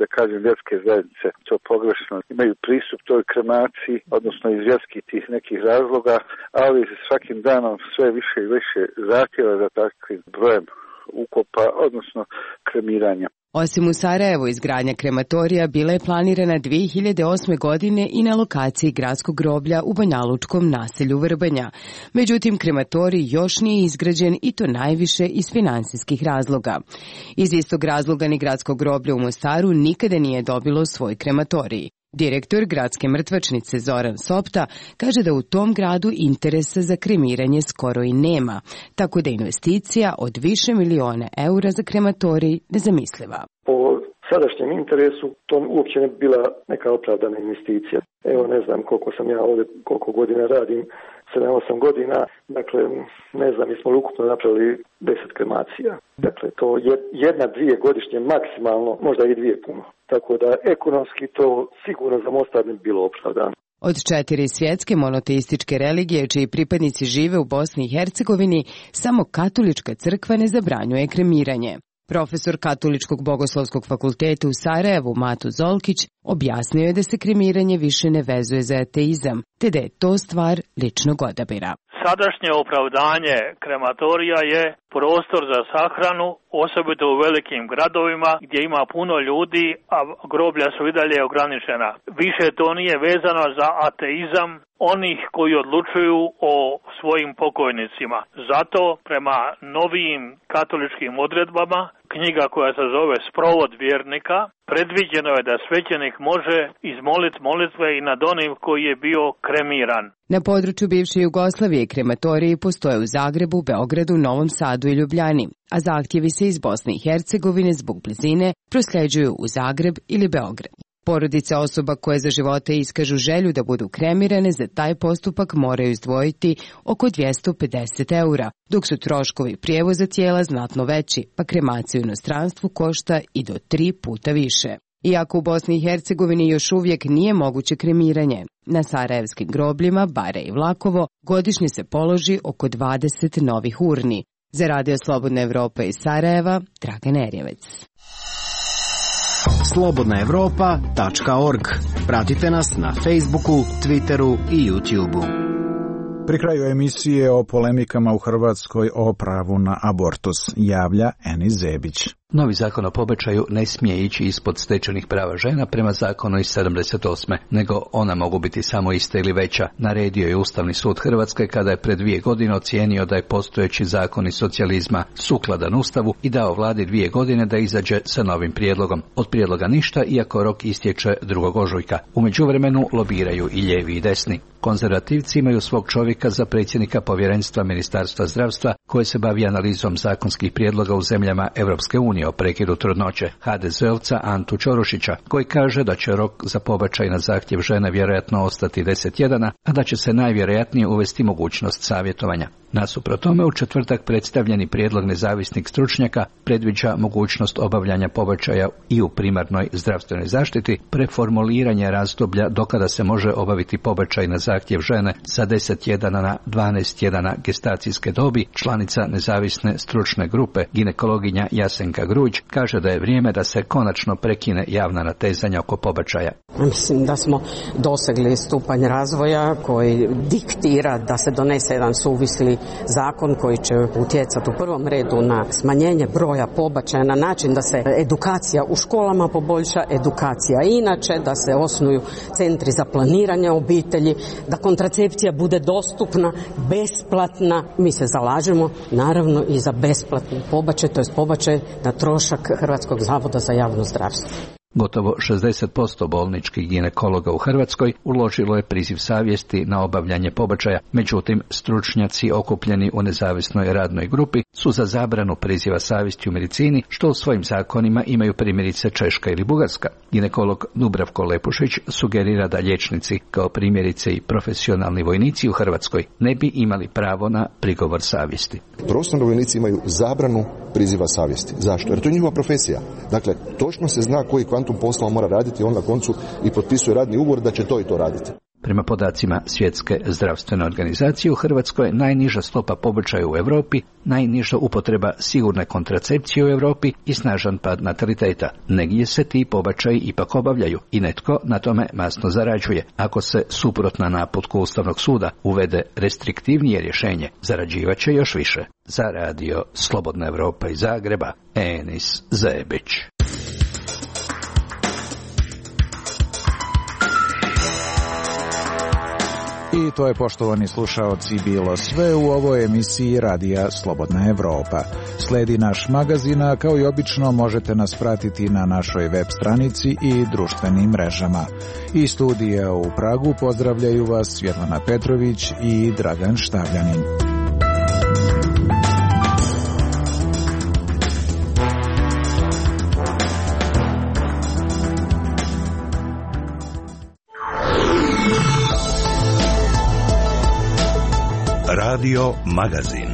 da kažem, vjerske zajednice, to pogrešno, imaju pristup toj kremaciji, odnosno iz vjerskih tih nekih razloga, ali svakim danom sve više i više zahtjeva za takvim brojem ukopa, odnosno kremiranja. Osim u Sarajevu, izgradnja krematorija bila je planirana 2008. godine i na lokaciji gradskog groblja u banjalučkom naselju Vrbanja. Međutim, krematorij još nije izgrađen i to najviše iz finansijskih razloga. Iz istog razloga ni gradsko groblje u Mostaru nikada nije dobilo svoj krematorij. Direktor gradske mrtvačnice Zoran Sopta kaže da u tom gradu interesa za kremiranje skoro i nema, tako da investicija od više miliona eura za krematorij nezamisliva. Po sadašnjem interesu to uopće ne bi bila neka opravdana investicija. Evo ne znam koliko sam ja ovdje, koliko godina radim, 7-8 godina, dakle ne znam, mi smo ukupno napravili 10 kremacija. Dakle to jedna, dvije godišnje maksimalno, možda i dvije puno. Tako da ekonomski to sigurno za Mostar ne bi bilo opravdano. Od 4 svjetske monoteističke religije čiji pripadnici žive u Bosni i Hercegovini, samo katolička crkva ne zabranjuje kremiranje. Profesor Katoličkog bogoslovskog fakulteta u Sarajevu Mato Zolkić objasnio je da se kremiranje više ne vezuje za ateizam, te da je to stvar ličnog odabira. Sadašnje opravdanje krematorija je prostor za sahranu, osobito u velikim gradovima gdje ima puno ljudi, a groblja su i dalje ograničena. Više to nije vezano za ateizam onih koji odlučuju o svojim pokojnicima. Zato prema novijim katoličkim odredbama, knjiga koja se zove Sprovod vjernika, predviđeno je da svećenik može izmoliti molitve i nad onim koji je bio kremiran. Na području bivše Jugoslavije krematoriji postoje u Zagrebu, Beogradu, Novom Sadu i Ljubljani, a zahtjevi se iz Bosne i Hercegovine zbog blizine prosljeđuju u Zagreb ili Beograd. Porodice osoba koje za života iskažu želju da budu kremirane za taj postupak moraju izdvojiti oko 250 eura, dok su troškovi prijevoza tijela znatno veći, pa kremacija u inostranstvu košta i do 3 puta više. Iako u Bosni i Hercegovini još uvijek nije moguće kremiranje, na sarajevskim grobljima, Bare i Vlakovo, godišnje se položi oko 20 novih urni. Za Radio Slobodna Evropa iz Sarajeva, Dragan Erjevec. slobodnaevropa.org. Pratite nas na Facebooku, Twitteru i YouTubeu. Pri kraju emisije o polemikama u Hrvatskoj o pravu na abortus javlja Enis Zebić. Novi zakon o pobačaju ne smije ići ispod stečenih prava žena prema zakonu iz 78. nego ona mogu biti samo ista ili veća. Naredio je Ustavni sud Hrvatske kada je pred 2 godine ocijenio da je postojeći zakon iz socijalizma sukladan Ustavu i dao vladi 2 godine da izađe sa novim prijedlogom. Od prijedloga ništa, iako rok istječe 2. ožujka. U međuvremenu lobiraju i lijevi i desni. Konzervativci imaju svog čovjeka za predsjednika povjerenstva Ministarstva zdravstva koje se bavi analizom zakonskih prijedloga u zemljama Europske unije o prekidu trudnoće, HDZ-ovca Antu Ćorušića, koji kaže da će rok za pobačaj na zahtjev žene vjerojatno ostati 10 tjedana, a da će se najvjerojatnije uvesti mogućnost savjetovanja. Nasuprot tome, u četvrtak predstavljeni prijedlog nezavisnih stručnjaka predviđa mogućnost obavljanja pobačaja i u primarnoj zdravstvenoj zaštiti, preformuliranje razdoblja dokada se može obaviti pobačaj na zahtjev žene sa 10 tjedana na 12 tjedana gestacijske dobi. Članica nezavisne stručne grupe, ginekologinja Jasenka Gruđ, kaže da je vrijeme da se konačno prekine javna natezanja oko pobačaja. Mislim da smo dosegli stupanj razvoja koji diktira da se donese jedan suvisli zakon koji će utjecati u prvom redu na smanjenje broja pobačaja na način da se edukacija u školama poboljša, edukacija inače, da se osnuju centri za planiranje obitelji, da kontracepcija bude dostupna, besplatna. Mi se zalažemo naravno i za besplatni pobačaj, to je pobačaj na trošak Hrvatskog zavoda za javno zdravstvo. Gotovo 60% bolničkih ginekologa u Hrvatskoj uložilo je priziv savjesti na obavljanje pobačaja, međutim stručnjaci okupljeni u nezavisnoj radnoj grupi su za zabranu priziva savjesti u medicini, što u svojim zakonima imaju primjerice Češka ili Bugarska. Ginekolog Dubravko Lepušić sugerira da liječnici, kao primjerice i profesionalni vojnici u Hrvatskoj, ne bi imali pravo na prigovor savjesti. Profesionalni vojnici imaju zabranu priziva savjesti. Zašto? Jer to je njihova profesija. Dakle, točno se zna koji kvantum posla mora raditi, on na koncu i potpisuje radni ugovor da će to i to raditi. Prema podacima Svjetske zdravstvene organizacije, u Hrvatskoj je najniža stopa pobačaja u Europi, najniža upotreba sigurne kontracepcije u Europi i snažan pad nataliteta. Negdje se ti pobačaji ipak obavljaju i netko na tome masno zarađuje. Ako se, suprotno naputku Ustavnog suda, uvede restriktivnije rješenje, zarađivaće još više. Za radio Slobodna Evropa iz Zagreba, Enis Zebić. I to je, poštovani slušaoci, bilo sve u ovoj emisiji Radija Slobodna Evropa. Sledi naš magazin, a kao i obično možete nas pratiti na našoj web stranici i društvenim mrežama. Iz studija u Pragu pozdravljaju vas Svjetlana Petrović i Dragan Štavljanin. Radio Magazin.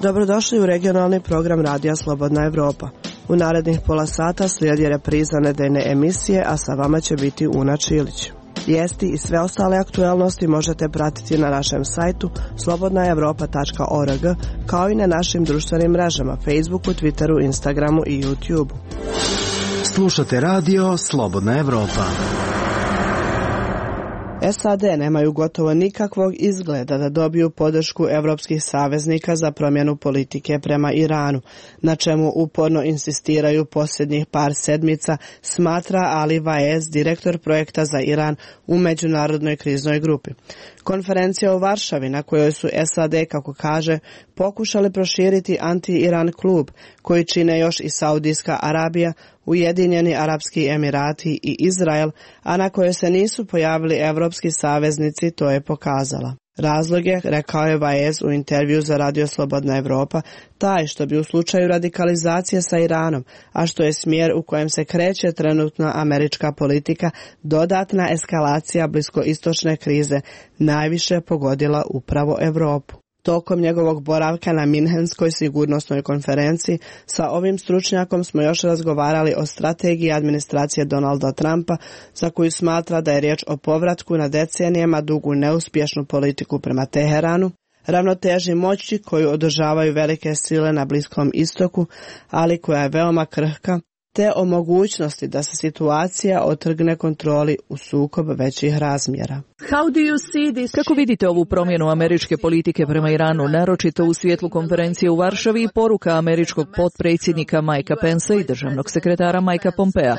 Dobrodošli u regionalni program Radija Slobodna Evropa. U narednih pola sata slijedi repriza nedeljne emisije, a sa vama će biti Una Čilić. Vijesti i sve ostale aktualnosti možete pratiti na našem sajtu slobodnaevropa.org, kao i na našim društvenim mrežama Facebooku, Twitteru, Instagramu i YouTubeu. Slušate radio Slobodna Evropa. SAD nemaju gotovo nikakvog izgleda da dobiju podršku evropskih saveznika za promjenu politike prema Iranu, na čemu uporno insistiraju posljednjih par sedmica, smatra Ali Vaez, direktor projekta za Iran u međunarodnoj kriznoj grupi. Konferencija u Varšavi, na kojoj su SAD, kako kaže, pokušali proširiti anti-Iran klub, koji čine još i Saudijska Arabija, Ujedinjeni Arapski Emirati i Izrael, a na kojoj se nisu pojavili evropski saveznici, to je pokazala. Razlog je, rekao je Vaez u intervju za Radio Slobodna Evropa, taj što bi u slučaju radikalizacije sa Iranom, a što je smjer u kojem se kreće trenutna američka politika, dodatna eskalacija bliskoistočne krize najviše pogodila upravo Europu. Tokom njegovog boravka na Minhenskoj sigurnosnoj konferenciji sa ovim stručnjakom smo još razgovarali o strategiji administracije Donalda Trumpa, za koju smatra da je riječ o povratku na decenijama dugu neuspješnu politiku prema Teheranu, ravnoteži moći koju održavaju velike sile na Bliskom istoku, ali koja je veoma krhka, te o mogućnosti da se situacija otrgne kontroli u sukob većih razmjera. Kako vidite ovu promjenu američke politike prema Iranu, naročito u svjetlu konferencije u Varšavi i poruka američkog potpredsjednika Mikea Pensa i državnog sekretara Mikea Pompea?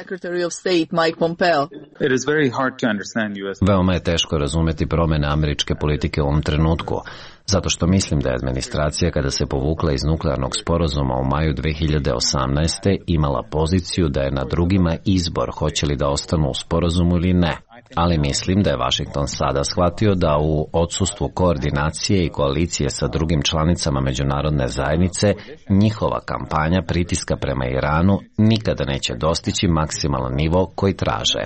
Veoma je teško razumjeti promjene američke politike u ovom trenutku, zato što mislim da je administracija, kada se povukla iz nuklearnog sporazuma u maju 2018. imala poziciju da je na drugima izbor hoće li da ostanu u sporazumu ili ne. Ali mislim da je Washington sada shvatio da u odsustvu koordinacije i koalicije sa drugim članicama međunarodne zajednice, njihova kampanja pritiska prema Iranu nikada neće dostići maksimalan nivo koji traže.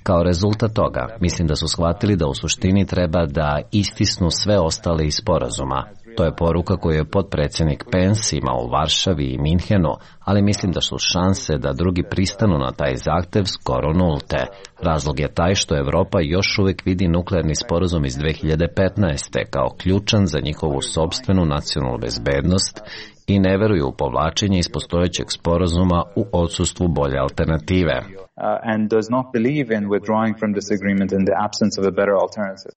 Kao rezultat toga, mislim da su shvatili da u suštini treba da istisnu sve ostale iz sporazuma. To je poruka koju je potpredsjednik Pence imao u Varšavi i Minhenu, ali mislim da su šanse da drugi pristanu na taj zahtjev skoro nulte. Razlog je taj što Europa još uvijek vidi nuklearni sporazum iz 2015. kao ključan za njihovu sopstvenu nacionalnu bezbednost i ne veruju u povlačenje iz postojećeg sporazuma u odsustvu bolje alternative. And does not believe in withdrawing from this agreement in the absence of a better alternative.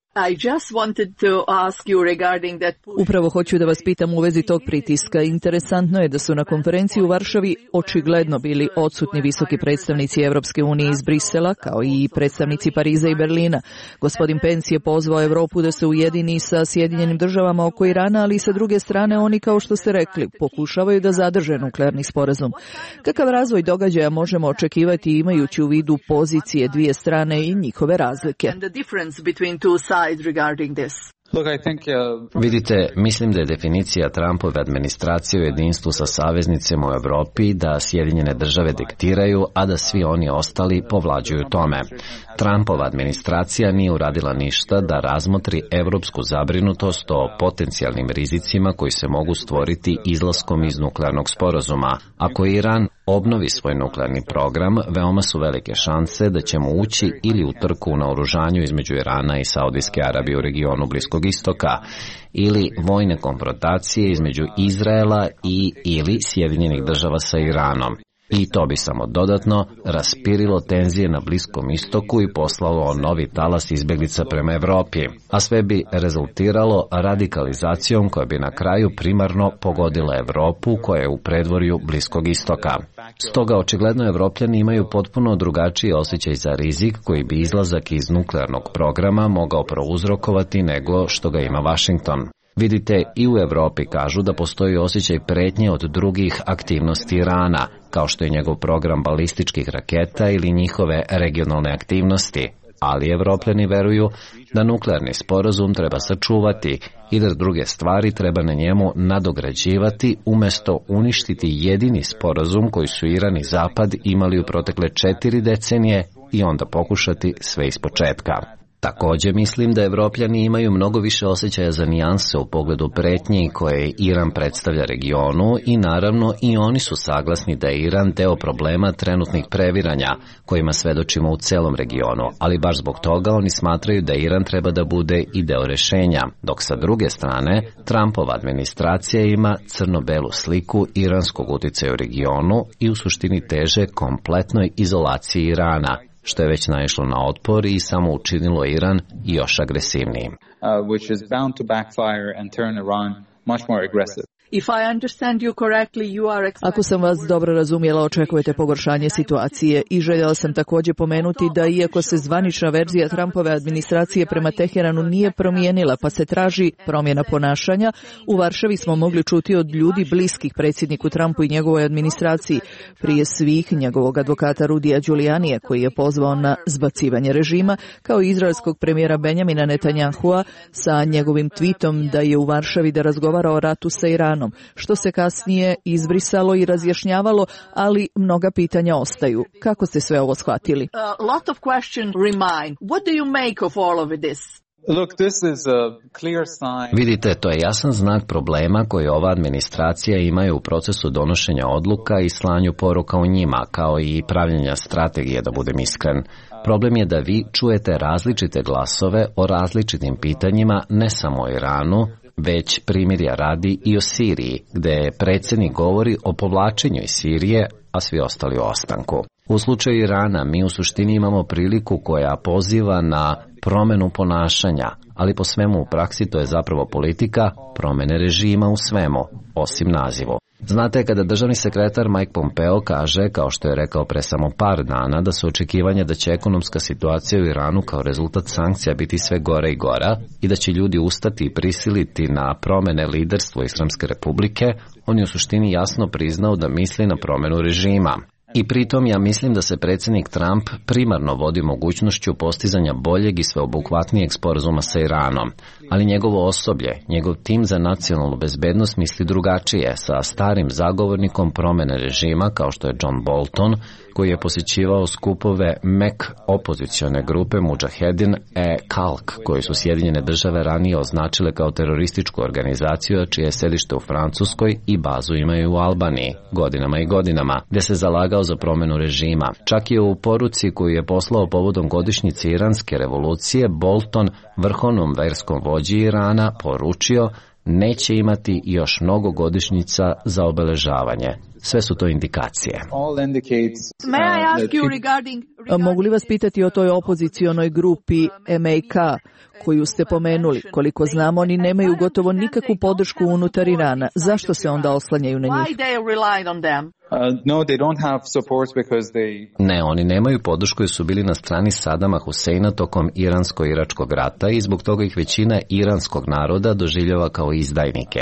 Upravo hoću da vas pitam u vezi tog pritiska. Interesantno je da su na konferenciji u Varšavi očigledno bili odsutni visoki predstavnici Evropske unije iz Brisela, kao i predstavnici Pariza i Berlina. Gospodin Pence je pozvao Europu da se ujedini sa Sjedinjenim državama oko Irana, ali sa druge strane oni, kao što ste rekli, pokušavaju da zadrže nuklearni sporazum. Kakav razvoj događaja možemo očekivati imajući u vidu pozicije dvije strane i njihove razlike? Vidite, mislim da je definicija Trumpove administracije u jedinstvu sa saveznicima u Europi da Sjedinjene države diktiraju, a da svi oni ostali povlađuju tome. Trumpova administracija nije uradila ništa da razmotri evropsku zabrinutost o potencijalnim rizicima koji se mogu stvoriti izlaskom iz nuklearnog sporazuma. Ako Iran obnovi svoj nuklearni program, veoma su velike šanse da ćemo ući ili u trku na oružanju između Irana i Saudijske Arabije u regionu Bliskog istoka, ili vojne konfrontacije između Izraela ili Sjedinjenih Država sa Iranom. I to bi samo dodatno raspirilo tenzije na Bliskom istoku i poslalo novi talas izbjeglica prema Evropi, a sve bi rezultiralo radikalizacijom koja bi na kraju primarno pogodila Evropu koja je u predvorju Bliskog istoka. Stoga očigledno Evropljani imaju potpuno drugačiji osjećaj za rizik koji bi izlazak iz nuklearnog programa mogao prouzrokovati nego što ga ima Washington. Vidite, i u Evropi kažu da postoji osjećaj pretnje od drugih aktivnosti Irana, kao što je njegov program balističkih raketa ili njihove regionalne aktivnosti, ali Evropljani veruju da nuklearni sporazum treba sačuvati i da druge stvari treba na njemu nadograđivati umjesto uništiti jedini sporazum koji su Iran i Zapad imali u protekle 4 decenije i onda pokušati sve ispočetka. Također mislim da Evropljani imaju mnogo više osjećaja za nijanse u pogledu pretnji koje Iran predstavlja regionu i naravno i oni su saglasni da je Iran deo problema trenutnih previranja kojima svedočimo u celom regionu, ali baš zbog toga oni smatraju da Iran treba da bude i deo rešenja, dok sa druge strane Trumpova administracija ima crno-belu sliku iranskog uticaja u regionu i u suštini teže kompletnoj izolaciji Irana, što je već naišlo na otpor i samo učinilo Iran još agresivnijim. Which is bound to backfire and turn Iran much more aggressive. Ako sam vas dobro razumjela, očekujete pogoršanje situacije i željela sam također pomenuti da iako se zvanična verzija Trumpove administracije prema Teheranu nije promijenila pa se traži promjena ponašanja, u Varšavi smo mogli čuti od ljudi bliskih predsjedniku Trumpu i njegovoj administraciji, prije svih njegovog advokata Rudija Giulianija koji je pozvao na zbacivanje režima, kao i izraelskog premijera Benjamina Netanyahua sa njegovim tweetom da je u Varšavi da razgovara o ratu sa Iranom, što se kasnije izbrisalo i razjašnjavalo, ali mnoga pitanja ostaju. Kako ste sve ovo shvatili? Vidite, to je jasan znak problema koji ova administracija ima u procesu donošenja odluka i slanju poruka u njima, kao i pravljenja strategije, da budem iskren. Problem je da vi čujete različite glasove o različitim pitanjima, ne samo o Iranu, već primirja radi i o Siriji, gde predsjednik govori o povlačenju iz Sirije, a svi ostali o ostanku. U slučaju Irana mi u suštini imamo priliku koja poziva na promjenu ponašanja, ali po svemu u praksi to je zapravo politika promjene režima u svemu, osim nazivu. Znate, kada državni sekretar Mike Pompeo kaže, kao što je rekao pre samo par dana, da su očekivanja da će ekonomska situacija u Iranu kao rezultat sankcija biti sve gora i gora i da će ljudi ustati i prisiliti na promjene liderstva Islamske republike, on je u suštini jasno priznao da misli na promjenu režima. I pritom ja mislim da se predsjednik Trump primarno vodi mogućnošću postizanja boljeg i sveobuhvatnijeg sporazuma sa Iranom, ali njegovo osoblje, njegov tim za nacionalnu bezbednost misli drugačije, sa starim zagovornikom promjene režima kao što je John Bolton, koji je posjećivao skupove MEK opozicione grupe Mujahedin Khalq, koji su Sjedinjene Države ranije označile kao terorističku organizaciju, čije je sedište u Francuskoj i bazu imaju u Albaniji, godinama i godinama, gdje se zalagao za promjenu režima. Čak je u poruci koju je poslao povodom godišnjice Iranske revolucije, Bolton, vrhovnom verskom vođi Irana, poručio neće imati još mnogo godišnjica za obeležavanje. Sve su to indikacije. Mogu li vas pitati o toj opozicionoj grupi MAK koju ste pomenuli? Koliko znamo, oni nemaju gotovo nikakvu podršku unutar Irana. Zašto se onda oslanjaju na njih? Ne, oni nemaju podršku jer su bili na strani Sadama Huseina tokom Iransko-iračkog rata i zbog toga ih većina iranskog naroda doživljava kao izdajnike.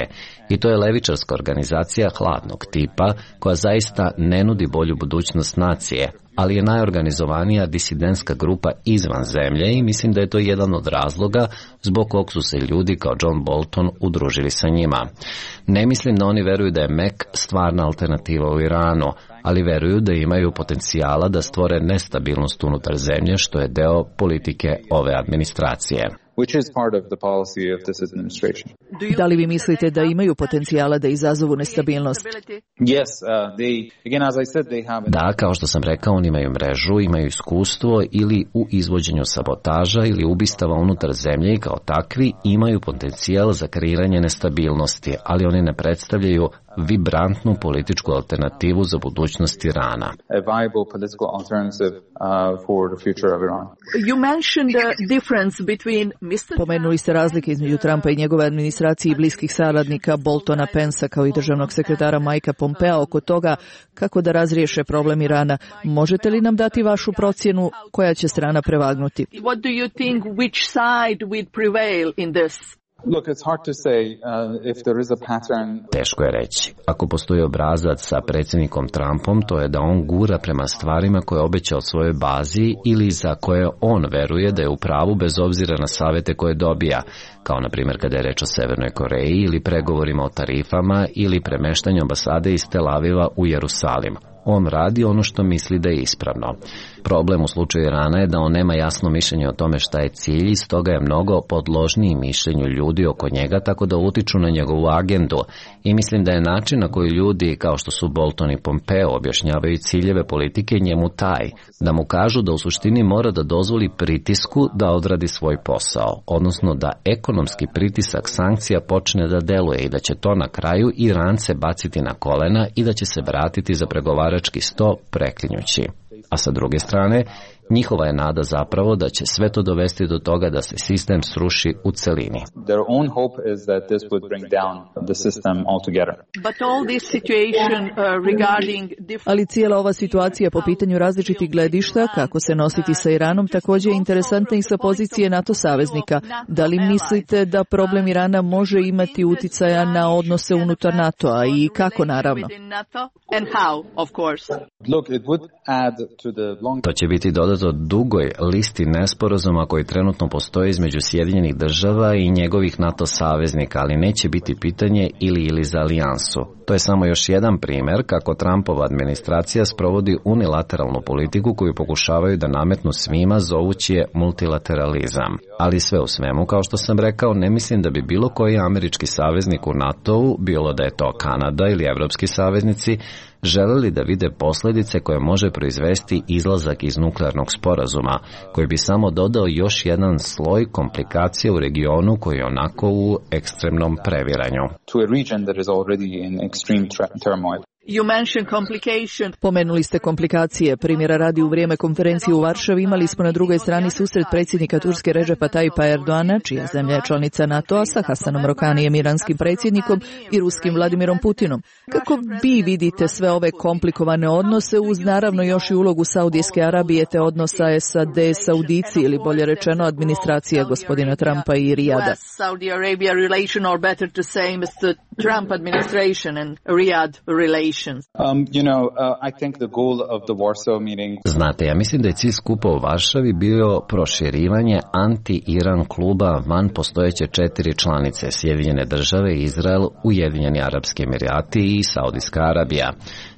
I to je levičarska organizacija hladnog tipa koja zaista ne nudi bolju budućnost nacije, ali je najorganizovanija disidentska grupa izvan zemlje i mislim da je to jedan od razloga zbog kog su se ljudi kao John Bolton udružili sa njima. Ne mislim da oni veruju da je MEK stvarna alternativa u Iranu, ali veruju da imaju potencijala da stvore nestabilnost unutar zemlje, što je deo politike ove administracije. which is part of the policy of this administration. Da li vi mislite da imaju potencijala da izazovu nestabilnost? Yes, again, as I said, they have... Da, kao što sam rekao, oni imaju mrežu, imaju iskustvo ili u izvođenju sabotaža ili ubistava unutar zemlje i kao takvi imaju potencijal za kreiranje nestabilnosti, ali oni ne predstavljaju vibrantnu političku alternativu za budućnost Irana. A viable political alternative for the future of Iran. You mentioned the difference between Pomenuli ste razlike između Trumpa i njegove administracije i bliskih saradnika Boltona, Pensa kao i državnog sekretara Mikea Pompea oko toga kako da razriješe problem Irana. Možete li nam dati vašu procjenu koja će strana prevagnuti? What do you think which side would prevail in this? Look, it's hard to say if there is a pattern. Teško je reći. Ako postoji obrazac sa predsjednikom Trumpom, to je da on gura prema stvarima koje je obećao svojoj bazi ili za koje on veruje da je u pravu bez obzira na savjete koje dobija, kao na primjer kada je reč o Severnoj Koreji ili pregovorima o tarifama ili premeštanju ambasade iz Tel Aviva u Jerusalim. On radi ono što misli da je ispravno. Problem u slučaju Irana je da on nema jasno mišljenje o tome šta je cilj i stoga je mnogo podložniji mišljenju ljudi oko njega, tako da utiču na njegovu agendu. I mislim da je način na koji ljudi, kao što su Bolton i Pompeo, objašnjavaju ciljeve politike njemu taj, da mu kažu da u suštini mora da dozvoli pritisku da odradi svoj posao, odnosno da ekonomski pritisak sankcija počne da deluje i da će to na kraju Irance baciti na kolena i da će se vratiti za pregovarački sto preklinjući. A sa druge strane, njihova je nada zapravo da će sve to dovesti do toga da se sistem sruši u celini. Their own hope is that this would bring down the system altogether. But all this situation regarding Ali cijela ova situacija po pitanju različitih gledišta, kako se nositi sa Iranom, također je interesantna i sa pozicije NATO saveznika. Da li mislite da problem Irana može imati uticaja na odnose unutar NATO-a i kako naravno? And how, of course. Look, it would add to the long... To će biti dodato dugoj listi nesporazuma koji trenutno postoji između Sjedinjenih država i njegovih NATO saveznika, ali neće biti pitanje ili za alijansu. To je samo još jedan primjer kako Trumpova administracija sprovodi unilateralnu politiku koju pokušavaju da nametnu svima, zovući je multilateralizam. Ali sve u svemu, kao što sam rekao, ne mislim da bi bilo koji američki saveznik u NATO-u, bilo da je to Kanada ili evropski saveznici, želeli da vide posljedice koje može proizvesti izlazak iz nuklearnog sporazuma, koji bi samo dodao još jedan sloj komplikacije u regionu koji je onako u ekstremnom previranju. To a region that is already in extreme turmoil. You mentioned complication. Pomenuli ste komplikacije. Primjera radi, u vrijeme konferencije u Varšavi imali smo na drugoj strani susret predsjednika Turske Redžepa Tayyipa Erdoana, čija zemlja je članica NATO-a, sa Hasanom Rohanijem, iranskim predsjednikom, i ruskim Vladimirom Putinom. Kako vi vidite sve ove komplikovane odnose uz naravno još i ulogu Saudijske Arabije te odnosa SAD-Saudici ili bolje rečeno administracija gospodina Trumpa i Rijada? Saudi Arabia relation, or better to say Mr. Trump administration and Riyadh relations. I think the goal of the Warsaw meeting... Znate, ja mislim da je cilj skupa u Varšavi bio proširivanje anti-Iran kluba van postojeće 4 članice: Sjedinjene države, Izrael, Ujedinjeni Arapski Emirati i Saudijska Arabija.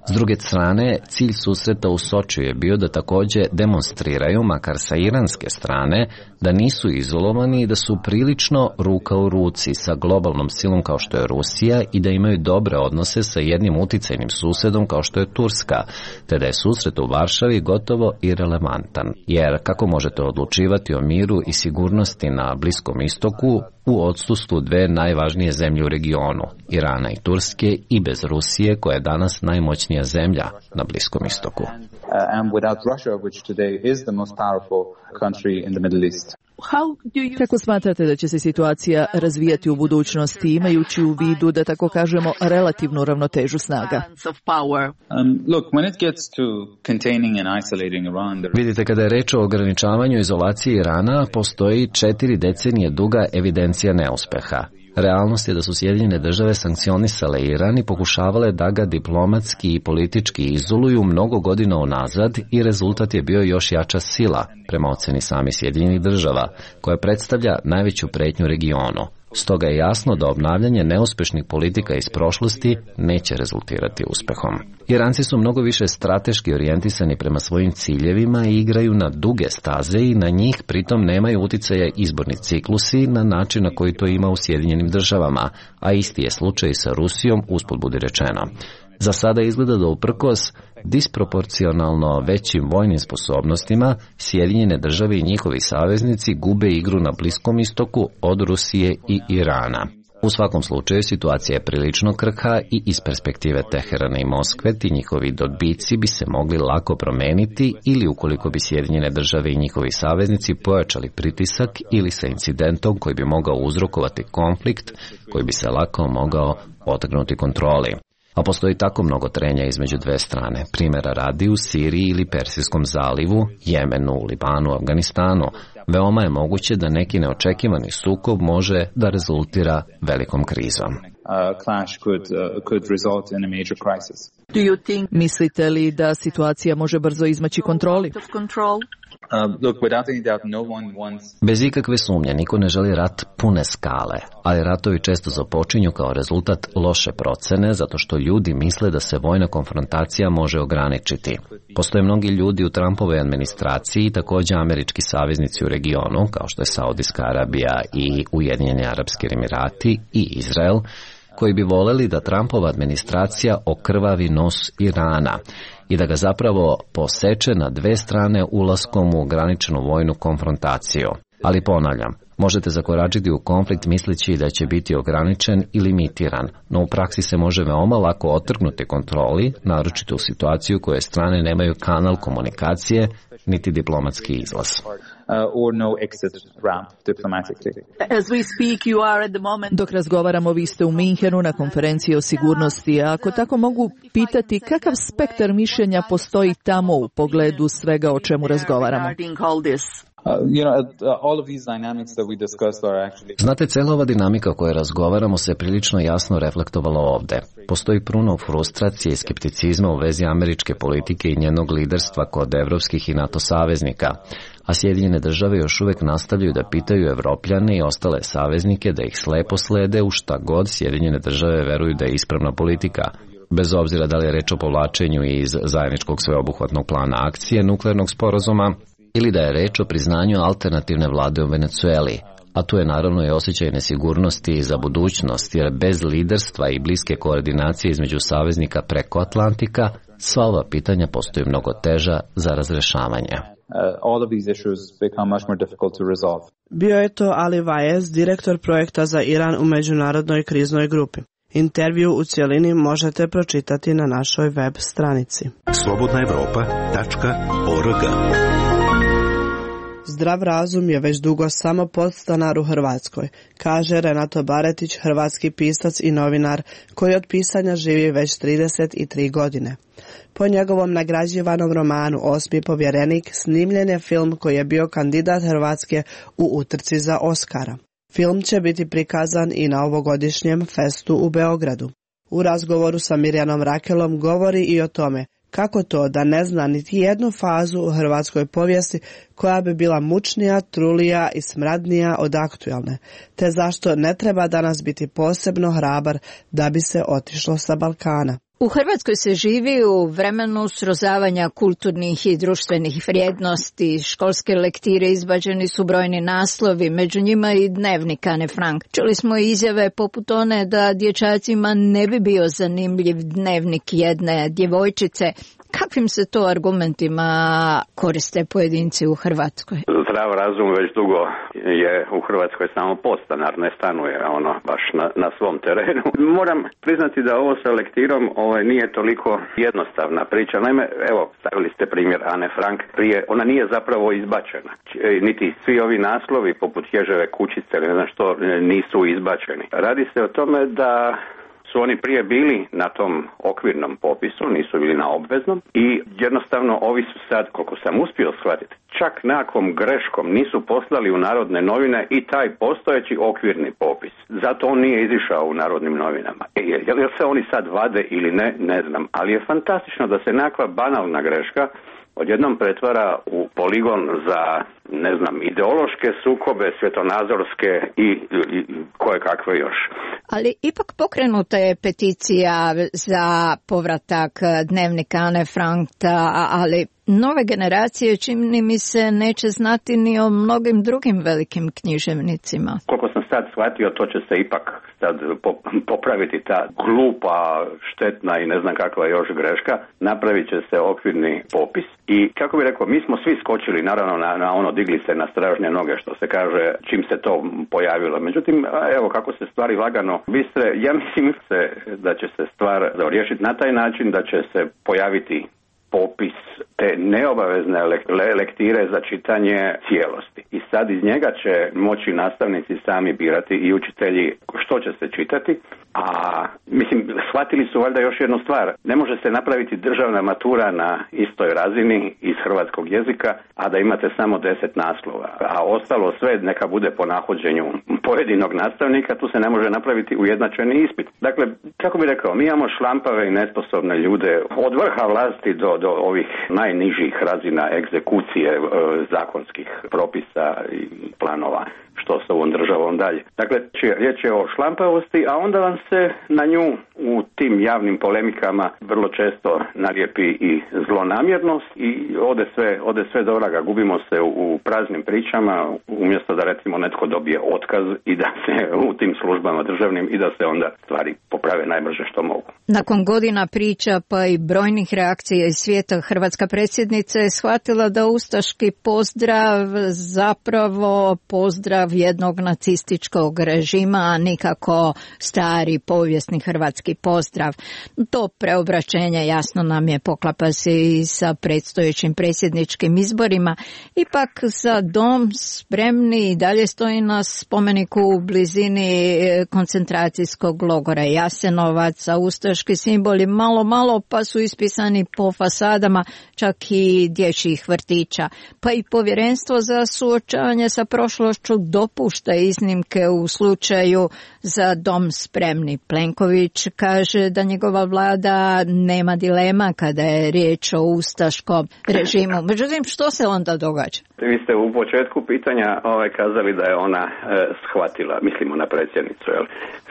S druge strane, cilj susreta u Sočiju je bio da također demonstriraju, makar sa iranske strane, da nisu izolovani i da su prilično ruka u ruci sa globalnom silom kao što je Rusija i da imaju dobre odnose sa jednim uticajnim susedom kao što je Turska, te da je susret u Varšavi gotovo irelevantan. Jer kako možete odlučivati o miru i sigurnosti na Bliskom istoku u odsustvu dve najvažnije zemlje u regionu, Irana i Turske, i bez Rusije, koja je danas najmoćnija zemlja na Bliskom istoku. And without Russia, which today is the most powerful country in the Middle East. Kako smatrate da će se situacija razvijati u budućnosti, imajući u vidu, da tako kažemo, relativnu ravnotežu snaga? Vidite, kada je reč o ograničavanju izolacije Irana, postoji 4 decenije duga evidencija neuspeha. Realnost je da su Sjedinjene države sankcionisale Iran i pokušavale da ga diplomatski i politički izoluju mnogo godina unazad i rezultat je bio još jača sila, prema oceni sami Sjedinjenih država, koja predstavlja najveću pretnju regionu. Stoga je jasno da obnavljanje neuspešnih politika iz prošlosti neće rezultirati uspehom. Iranci su mnogo više strateški orijentisani prema svojim ciljevima i igraju na duge staze i na njih pritom nemaju uticaja izborni ciklusi na način na koji to ima u Sjedinjenim državama, a isti je slučaj sa Rusijom, usput budi rečeno. Za sada izgleda da uprkos disproporcionalno većim vojnim sposobnostima, Sjedinjene države i njihovi saveznici gube igru na Bliskom istoku od Rusije i Irana. U svakom slučaju situacija je prilično krhka i iz perspektive Teherana i Moskve ti njihovi dobici bi se mogli lako promeniti ili ukoliko bi Sjedinjene države i njihovi saveznici pojačali pritisak ili sa incidentom koji bi mogao uzrokovati konflikt koji bi se lako mogao otrgnuti kontroli. A postoji tako mnogo trenja između dve strane, primjera radi u Siriji ili Persijskom zalivu, Jemenu, Libanu, Afganistanu. Veoma je moguće da neki neočekivani sukob može da rezultira velikom krizom. Mislite li da situacija može brzo izmaći kontroli? Bez ikakve sumnje, niko ne želi rat pune skale, ali ratovi često započinju kao rezultat loše procene zato što ljudi misle da se vojna konfrontacija može ograničiti. Postoje mnogi ljudi u Trumpovoj administraciji i također američki saveznici u regionu, kao što je Saudijska Arabija i Ujedinjeni Arapski Emirati i Izrael, koji bi voleli da Trumpova administracija okrvavi nos Irana i da ga zapravo poseče na dve strane ulaskom u ograničenu vojnu konfrontaciju. Ali ponavljam, možete zakoračiti u konflikt misleći da će biti ograničen i limitiran, no u praksi se može veoma lako otrgnuti kontroli, naročito u situaciju u kojoj strane nemaju kanal komunikacije niti diplomatski izlaz. Dok razgovaramo, vi ste u Minhenu na konferenciji o sigurnosti, a ako tako mogu pitati, kakav spektar mišljenja postoji tamo u pogledu svega o čemu razgovaramo? Znate, cijela ova dinamika o kojoj razgovaramo se prilično jasno reflektovala ovdje. Postoji puno frustracije i skepticizma u vezi američke politike i njenog liderstva kod evropskih i NATO saveznika, a Sjedinjene države još uvijek nastavljaju da pitaju Evropljane i ostale saveznike da ih slepo slede u šta god Sjedinjene države veruju da je ispravna politika, bez obzira da li je reč o povlačenju iz zajedničkog sveobuhvatnog plana akcije nuklearnog sporazuma ili da je reč o priznanju alternativne vlade u Venecueli, a tu je naravno i osjećaj nesigurnosti za budućnost, jer bez liderstva i bliske koordinacije između saveznika preko Atlantika, sva ova pitanja postaju mnogo teža za razrešavanje. Bio je to Ali Vaez, direktor projekta za Iran u Međunarodnoj kriznoj grupi. Intervju u cijelini možete pročitati na našoj web stranici. slobodnaevropa.org. Zdrav razum je već dugo samo podstanar u Hrvatskoj, kaže Renato Baretić, hrvatski pisac i novinar koji od pisanja živi već 33 godine. Po njegovom nagrađivanom romanu Osmi povjerenik snimljen je film koji je bio kandidat Hrvatske u utrci za Oskara. Film će biti prikazan i na ovogodišnjem festu u Beogradu. U razgovoru sa Mirjanom Rakelom govori i o tome kako to da ne zna niti jednu fazu u hrvatskoj povijesti koja bi bila mučnija, trulija i smradnija od aktualne, te zašto ne treba danas biti posebno hrabar da bi se otišlo sa Balkana. U Hrvatskoj se živi u vremenu srozavanja kulturnih i društvenih vrijednosti. Školske lektire izbačeni su brojni naslovi, među njima i dnevnik Ane Frank. Čuli smo izjave poput one da dječacima ne bi bio zanimljiv dnevnik jedne djevojčice. Kakvim se to argumentima koriste pojedinci u Hrvatskoj? Zdrav razum već dugo je u Hrvatskoj samo podstanar, ne stanuje baš na svom terenu. Moram priznati da ovo sa lektirom nije toliko jednostavna priča. Naime, evo, stavili ste primjer Ane Frank prije, ona nije zapravo izbačena. Niti svi ovi naslovi poput Ježeve kućice ili ne znam što nisu izbačeni. Radi se o tome da su oni prije bili na tom okvirnom popisu, nisu bili na obveznom i jednostavno ovi su sad, koliko sam uspio shvatiti, čak nekakvom greškom nisu poslali u Narodne novine i taj postojeći okvirni popis. Zato on nije izišao u Narodnim novinama. Jel se oni sad vade ili ne, ne znam, ali je fantastično da se nekakva banalna greška odjednom pretvara u poligon za, ne znam, ideološke sukobe, svjetonazorske i koje kakve još. Ali ipak pokrenuta je peticija za povratak dnevnika Ane Frank, ali nove generacije, čini mi se, neće znati ni o mnogim drugim velikim književnicima. Koliko sam sad shvatio, to će se ipak sad popraviti ta glupa, štetna i ne znam kakva još greška. Napravit će se okvirni popis i, kako bi rekao, mi smo svi skočili naravno na ono, digli se na stražnje noge, što se kaže, čim se to pojavilo. Međutim, evo kako se stvari lagano bistre, ja mislim da će se stvar riješiti na taj način da će se pojaviti popis te neobavezne lektire za čitanje cijelosti. I sad iz njega će moći nastavnici sami birati i učitelji što će se čitati, a mislim, shvatili su valjda još jednu stvar. Ne može se napraviti državna matura na istoj razini iz hrvatskog jezika, a da imate samo 10 naslova. A ostalo sve neka bude po nahođenju pojedinog nastavnika, tu se ne može napraviti ujednačeni ispit. Dakle, kako bi rekao, mi imamo šlampave i nesposobne ljude od vrha vlasti do ovih najnižih razina egzekucije zakonskih propisa i planova što s ovom državom dalje. Dakle, riječ je o šlampavosti, a onda vam se na nju u tim javnim polemikama vrlo često nalijepi i zlonamjernost i ode sve do vraga. Gubimo se u praznim pričama, umjesto da recimo netko dobije otkaz i da se u tim službama državnim i da se onda stvari poprave najbrže što mogu. Nakon godina priča pa i brojnih reakcija iz svijeta, hrvatska predsjednica je shvatila da ustaški pozdrav zapravo pozdrav jednog nacističkog režima, a nikako stari povijesni hrvatski pozdrav. To preobraćenje jasno nam je, poklapa se i sa predstojećim predsjedničkim izborima. Ipak za dom spremni i dalje stoji na spomeniku u blizini koncentracijskog logora Jasenovac, a ustaški simboli malo pa su ispisani po fasadama čak i dječjih vrtića. Pa i povjerenstvo za suočavanje sa prošlošću dopušta iznimke u slučaju za dom spremni. Plenković kaže da njegova vlada nema dilema kada je riječ o ustaškom režimu. Međutim, što se onda događa? Vi ste u početku pitanja kazali da je ona shvatila, mislimo na predsjednicu, jel?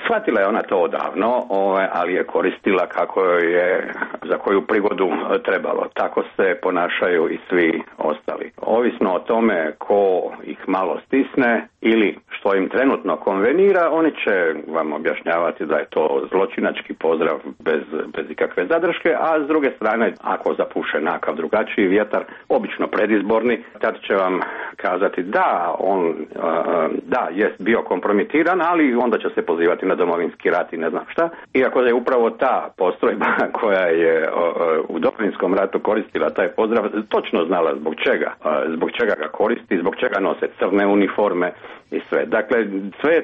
Shvatila je ona to odavno, ali je koristila kako je za koju prigodu trebalo. Tako se ponašaju i svi ostali. Ovisno o tome ko ih malo stisne ili što im trenutno konvenira, oni će vam objašnjavati da je to zločinački pozdrav bez ikakve zadrške, a s druge strane, ako zapuše nakav drugačiji vjetar, obično predizborni, tad će vam kazati da on jest bio kompromitiran, ali onda će se pozivati na Domovinski rat i ne znam šta. Iako je upravo ta postrojba koja je u Domovinskom ratu koristila taj pozdrav, točno znala zbog čega ga koristi, zbog čega nose crne uniforme i sve. Dakle,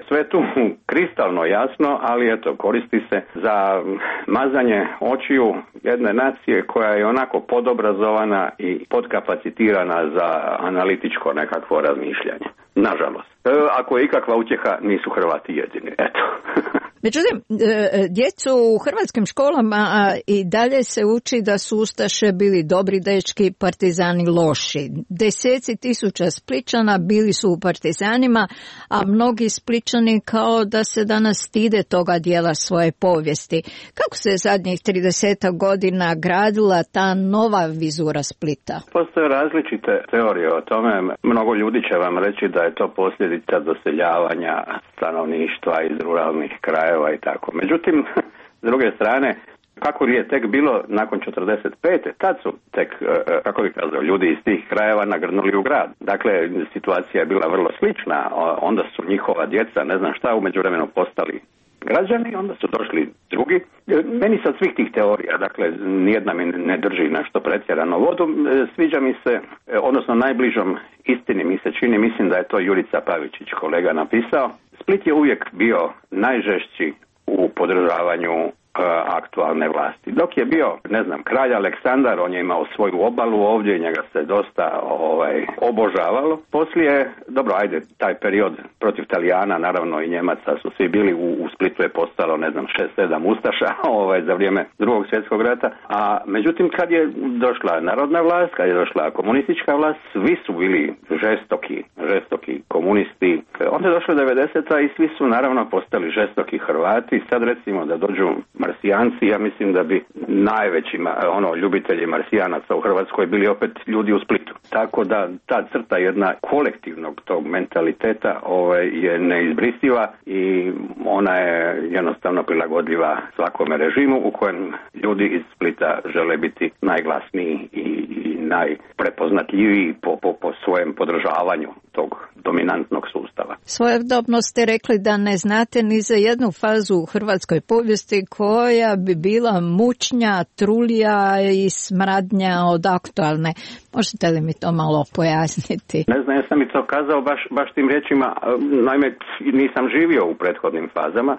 sve tu kristalno jasno, ali eto, koristi se za mazanje očiju jedne nacije koja je onako podobrazovana i podkapacitirana za analitičko nekakvo razmišljanje. Nažalost. Ako je ikakva utjeha, nisu Hrvati jedini. Eto. Međutim, djecu u hrvatskim školama i dalje se uči da su ustaše bili dobri dečki, partizani loši. Deseci tisuća Splićana bili su u partizanima, a mnogi Splićani kao da se danas stide toga dijela svoje povijesti. Kako se zadnjih 30 godina gradila ta nova vizura Splita? Postoje različite teorije o tome. Mnogo ljudi će vam reći da je to posljedica doseljavanja stanovništva iz ruralnih krajeva i tako. Međutim, s druge strane, kako je tek bilo nakon 45. tad su tek, kako bih kazao, ljudi iz tih krajeva nagrnuli u grad. Dakle, situacija je bila vrlo slična, onda su njihova djeca, ne znam šta, u međuvremenu postali građani, onda su došli drugi. Meni sa svih tih teorija, dakle, nijedna mi ne drži nešto pretjerano vodu, sviđa mi se, odnosno najbližom istini mi se čini, mislim da je to Jurica Pavičić, kolega, napisao. Split je uvijek bio najžešći u podržavanju aktualne vlasti. Dok je bio, kralj Aleksandar, on je imao svoju obalu ovdje i njega se dosta obožavalo. Poslije, taj period protiv Talijana, naravno i Njemaca su svi bili, u Splitu je postalo, 6-7 ustaša za vrijeme Drugog svjetskog rata, a međutim kad je došla narodna vlast, kad je došla komunistička vlast, svi su bili žestoki komunisti. Onda je došla 90-a i svi su naravno postali žestoki Hrvati. Sad recimo da dođu Marsijanci, ja mislim da bi najveći ljubitelji Marsijanaca u Hrvatskoj bili opet ljudi u Splitu. Tako da ta crta jedna kolektivnog tog mentaliteta je neizbrisiva i ona je jednostavno prilagodljiva svakome režimu u kojem ljudi iz Splita žele biti najglasniji i najprepoznatljiviji po svojem podržavanju tog dominantnog sustava. Svojedobno ste rekli da ne znate ni za jednu fazu u hrvatskoj povijesti koja bi bila mučnja, trulija i smradnja od aktualne. Možete li mi to malo pojasniti? Ne znam, ja sam i to kazao baš tim riječima, naime nisam živio u prethodnim fazama,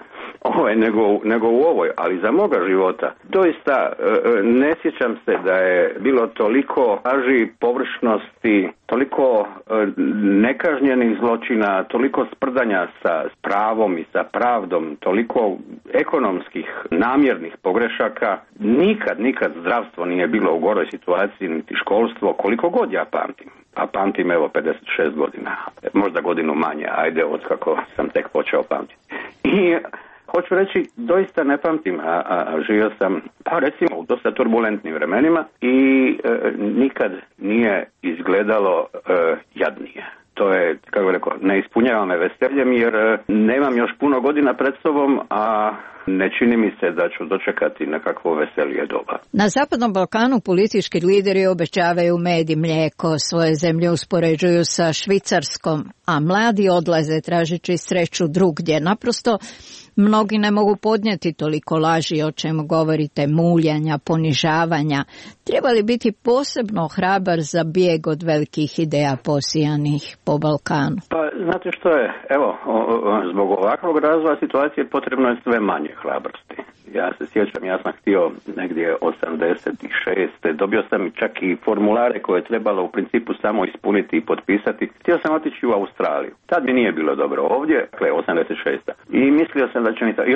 nego u ovoj, ali za moga života doista ne sjećam se da je bilo toliko laži, površnosti, toliko nekažnjenih zločina, toliko sprdanja sa pravom i sa pravdom, toliko ekonomskih namjernih pogrešaka. Nikad zdravstvo nije bilo u goroj situaciji, niti školstvo, koliko god ja pamtim. A pamtim 56 godina, možda godinu manje, od kako sam tek počeo pamtiti. I hoću reći, doista ne pamtim, a živio sam, recimo, u dosta turbulentnim vremenima i nikad nije izgledalo jadnije. To je, kako bih rekao, ne ispunjava me veseljem jer nemam još puno godina pred sobom, a ne čini mi se da ću dočekati nekakvo veselije doba. Na Zapadnom Balkanu politički lideri obećavaju med i mlijeko, svoje zemlje uspoređuju sa Švicarskom, a mladi odlaze tražeći sreću drugdje. Naprosto mnogi ne mogu podnijeti toliko laži o čemu govorite, muljanja, ponižavanja. Treba li biti posebno hrabar za bijeg od velikih ideja posijanih po Balkanu? Pa znate što je, zbog ovakvog razvoja situacije potrebno je sve manje hrabrosti. Ja se sjećam, ja sam htio negdje 86. Dobio sam čak i formulare koje je trebalo u principu samo ispuniti i potpisati. Htio sam otići u Australiju. Tad mi nije bilo dobro ovdje, 86. I mislio sam da će mi to. I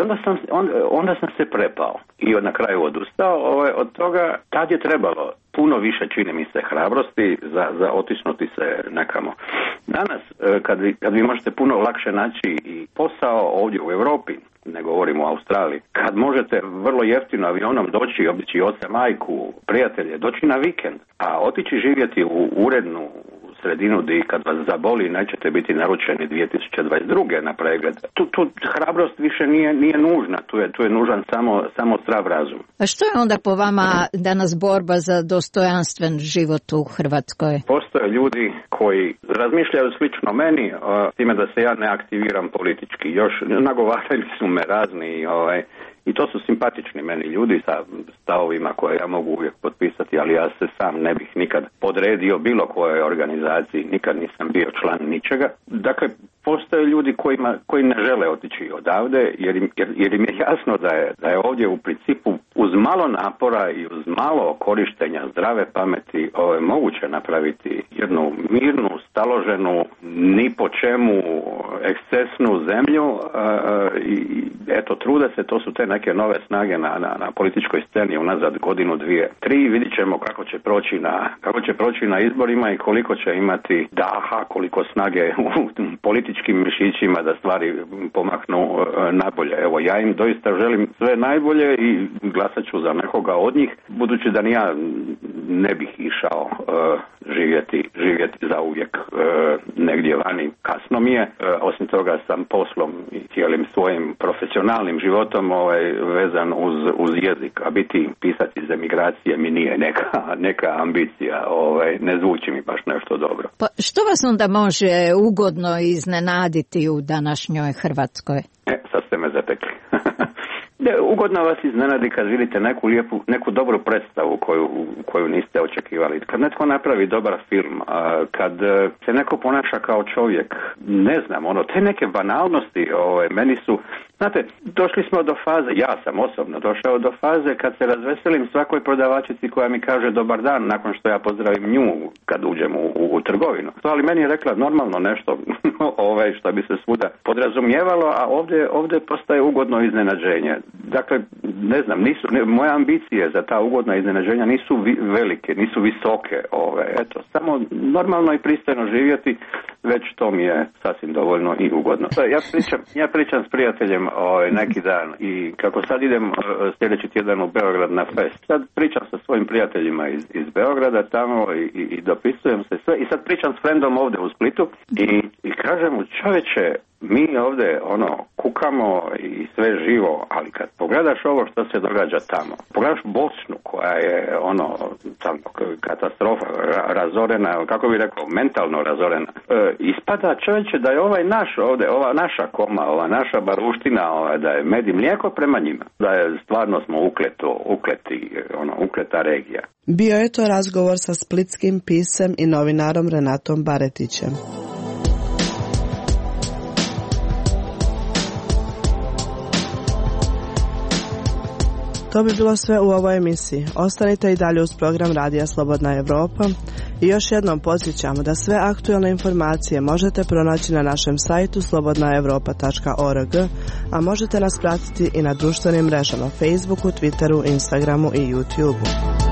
onda sam se prepao i na kraju odustao od toga. Tad je trebalo puno više, čini mi se, hrabrosti za otisnuti se nekamo. Danas, kad vi možete puno lakše naći i posao ovdje u Europi, ne govorimo o Australiji, kad možete vrlo jeftino avionom doći, obići oca, majku, prijatelje, doći na vikend, a otići živjeti u urednu sredinu gdje kad vas zaboli nećete biti naručeni 2022. na pregled. Tu hrabrost više nije nužna, tu je nužan samo zdrav razum. A što je onda po vama danas borba za dostojanstven život u Hrvatskoj? Postoje ljudi koji razmišljaju slično meni, s time da se ja ne aktiviram politički. Još nagovarali su me razni i to su simpatični meni ljudi sa stavovima koje ja mogu uvijek potpisati, ali ja se sam ne bih nikad podredio bilo kojoj organizaciji, nikad nisam bio član ničega. Dakle, postoje ljudi koji ne žele otići odavde jer im je jasno da je ovdje u principu uz malo napora i uz malo korištenja zdrave pameti moguće napraviti jednu mirnu, staloženu, ni po čemu ekscesnu zemlju i eto, trude se, to su te neke nove snage na političkoj sceni unazad godinu, 2, 3, vidit ćemo kako će proći na izborima i koliko će imati daha, koliko snage u političkim mišićima da stvari pomaknu najbolje. Evo, ja im doista želim sve najbolje i glasat ću za nekoga od njih, budući da ni ja ne bih išao živjeti zauvijek negdje vani. Kasno mi je, osim toga sam poslom i cijelim svojim profesionalnim životom vezan uz jezik, a biti pisac iz emigracije mi nije neka ambicija, ne zvuči mi baš nešto dobro. Pa što vas onda može ugodno iznenaditi u današnjoj Hrvatskoj? Sad ste me zatekli. Ugodno vas iznenadi kad vidite neku dobru predstavu koju niste očekivali. Kad netko napravi dobar film, kad se neko ponaša kao čovjek, ne znam, te neke banalnosti meni su, znate, došli smo do faze, ja sam osobno došao do faze kad se razveselim svakoj prodavačici koja mi kaže dobar dan nakon što ja pozdravim nju kad uđem u trgovinu. Ali meni je rekla normalno nešto što bi se svuda podrazumijevalo, a ovdje postaje ugodno iznenađenje. Dakle, ne znam, moje ambicije za ta ugodna iznenađenja nisu velike, nisu visoke. Eto, samo normalno i pristojno živjeti, već to mi je sasvim dovoljno i ugodno. Ja pričam s prijateljem neki dan i kako sad idem sljedeći tjedan u Beograd na fest. Sad pričam sa svojim prijateljima iz Beograda tamo i dopisujem se sve i sad pričam s frendom ovdje u Splitu i kažem mu, čoveče, mi ovdje kukamo i sve živo, ali kad pogledaš ovo što se događa tamo, pogledaš Bosnu koja je tamo katastrofa, razorena, kako bi rekao, mentalno razorena, ispada, čovječe, da je ovaj naš ovdje, ova naša koma, ova naša baruština, da je med i mlijeko prema njima, da je stvarno smo ukleta regija. Bio je to razgovor sa splitskim pisem i novinarom Renatom Baretićem. To bi bilo sve u ovoj emisiji. Ostanite i dalje uz program Radija Slobodna Evropa i još jednom podsjećamo da sve aktualne informacije možete pronaći na našem sajtu slobodnaevropa.org, a možete nas pratiti i na društvenim mrežama Facebooku, Twitteru, Instagramu i YouTubeu.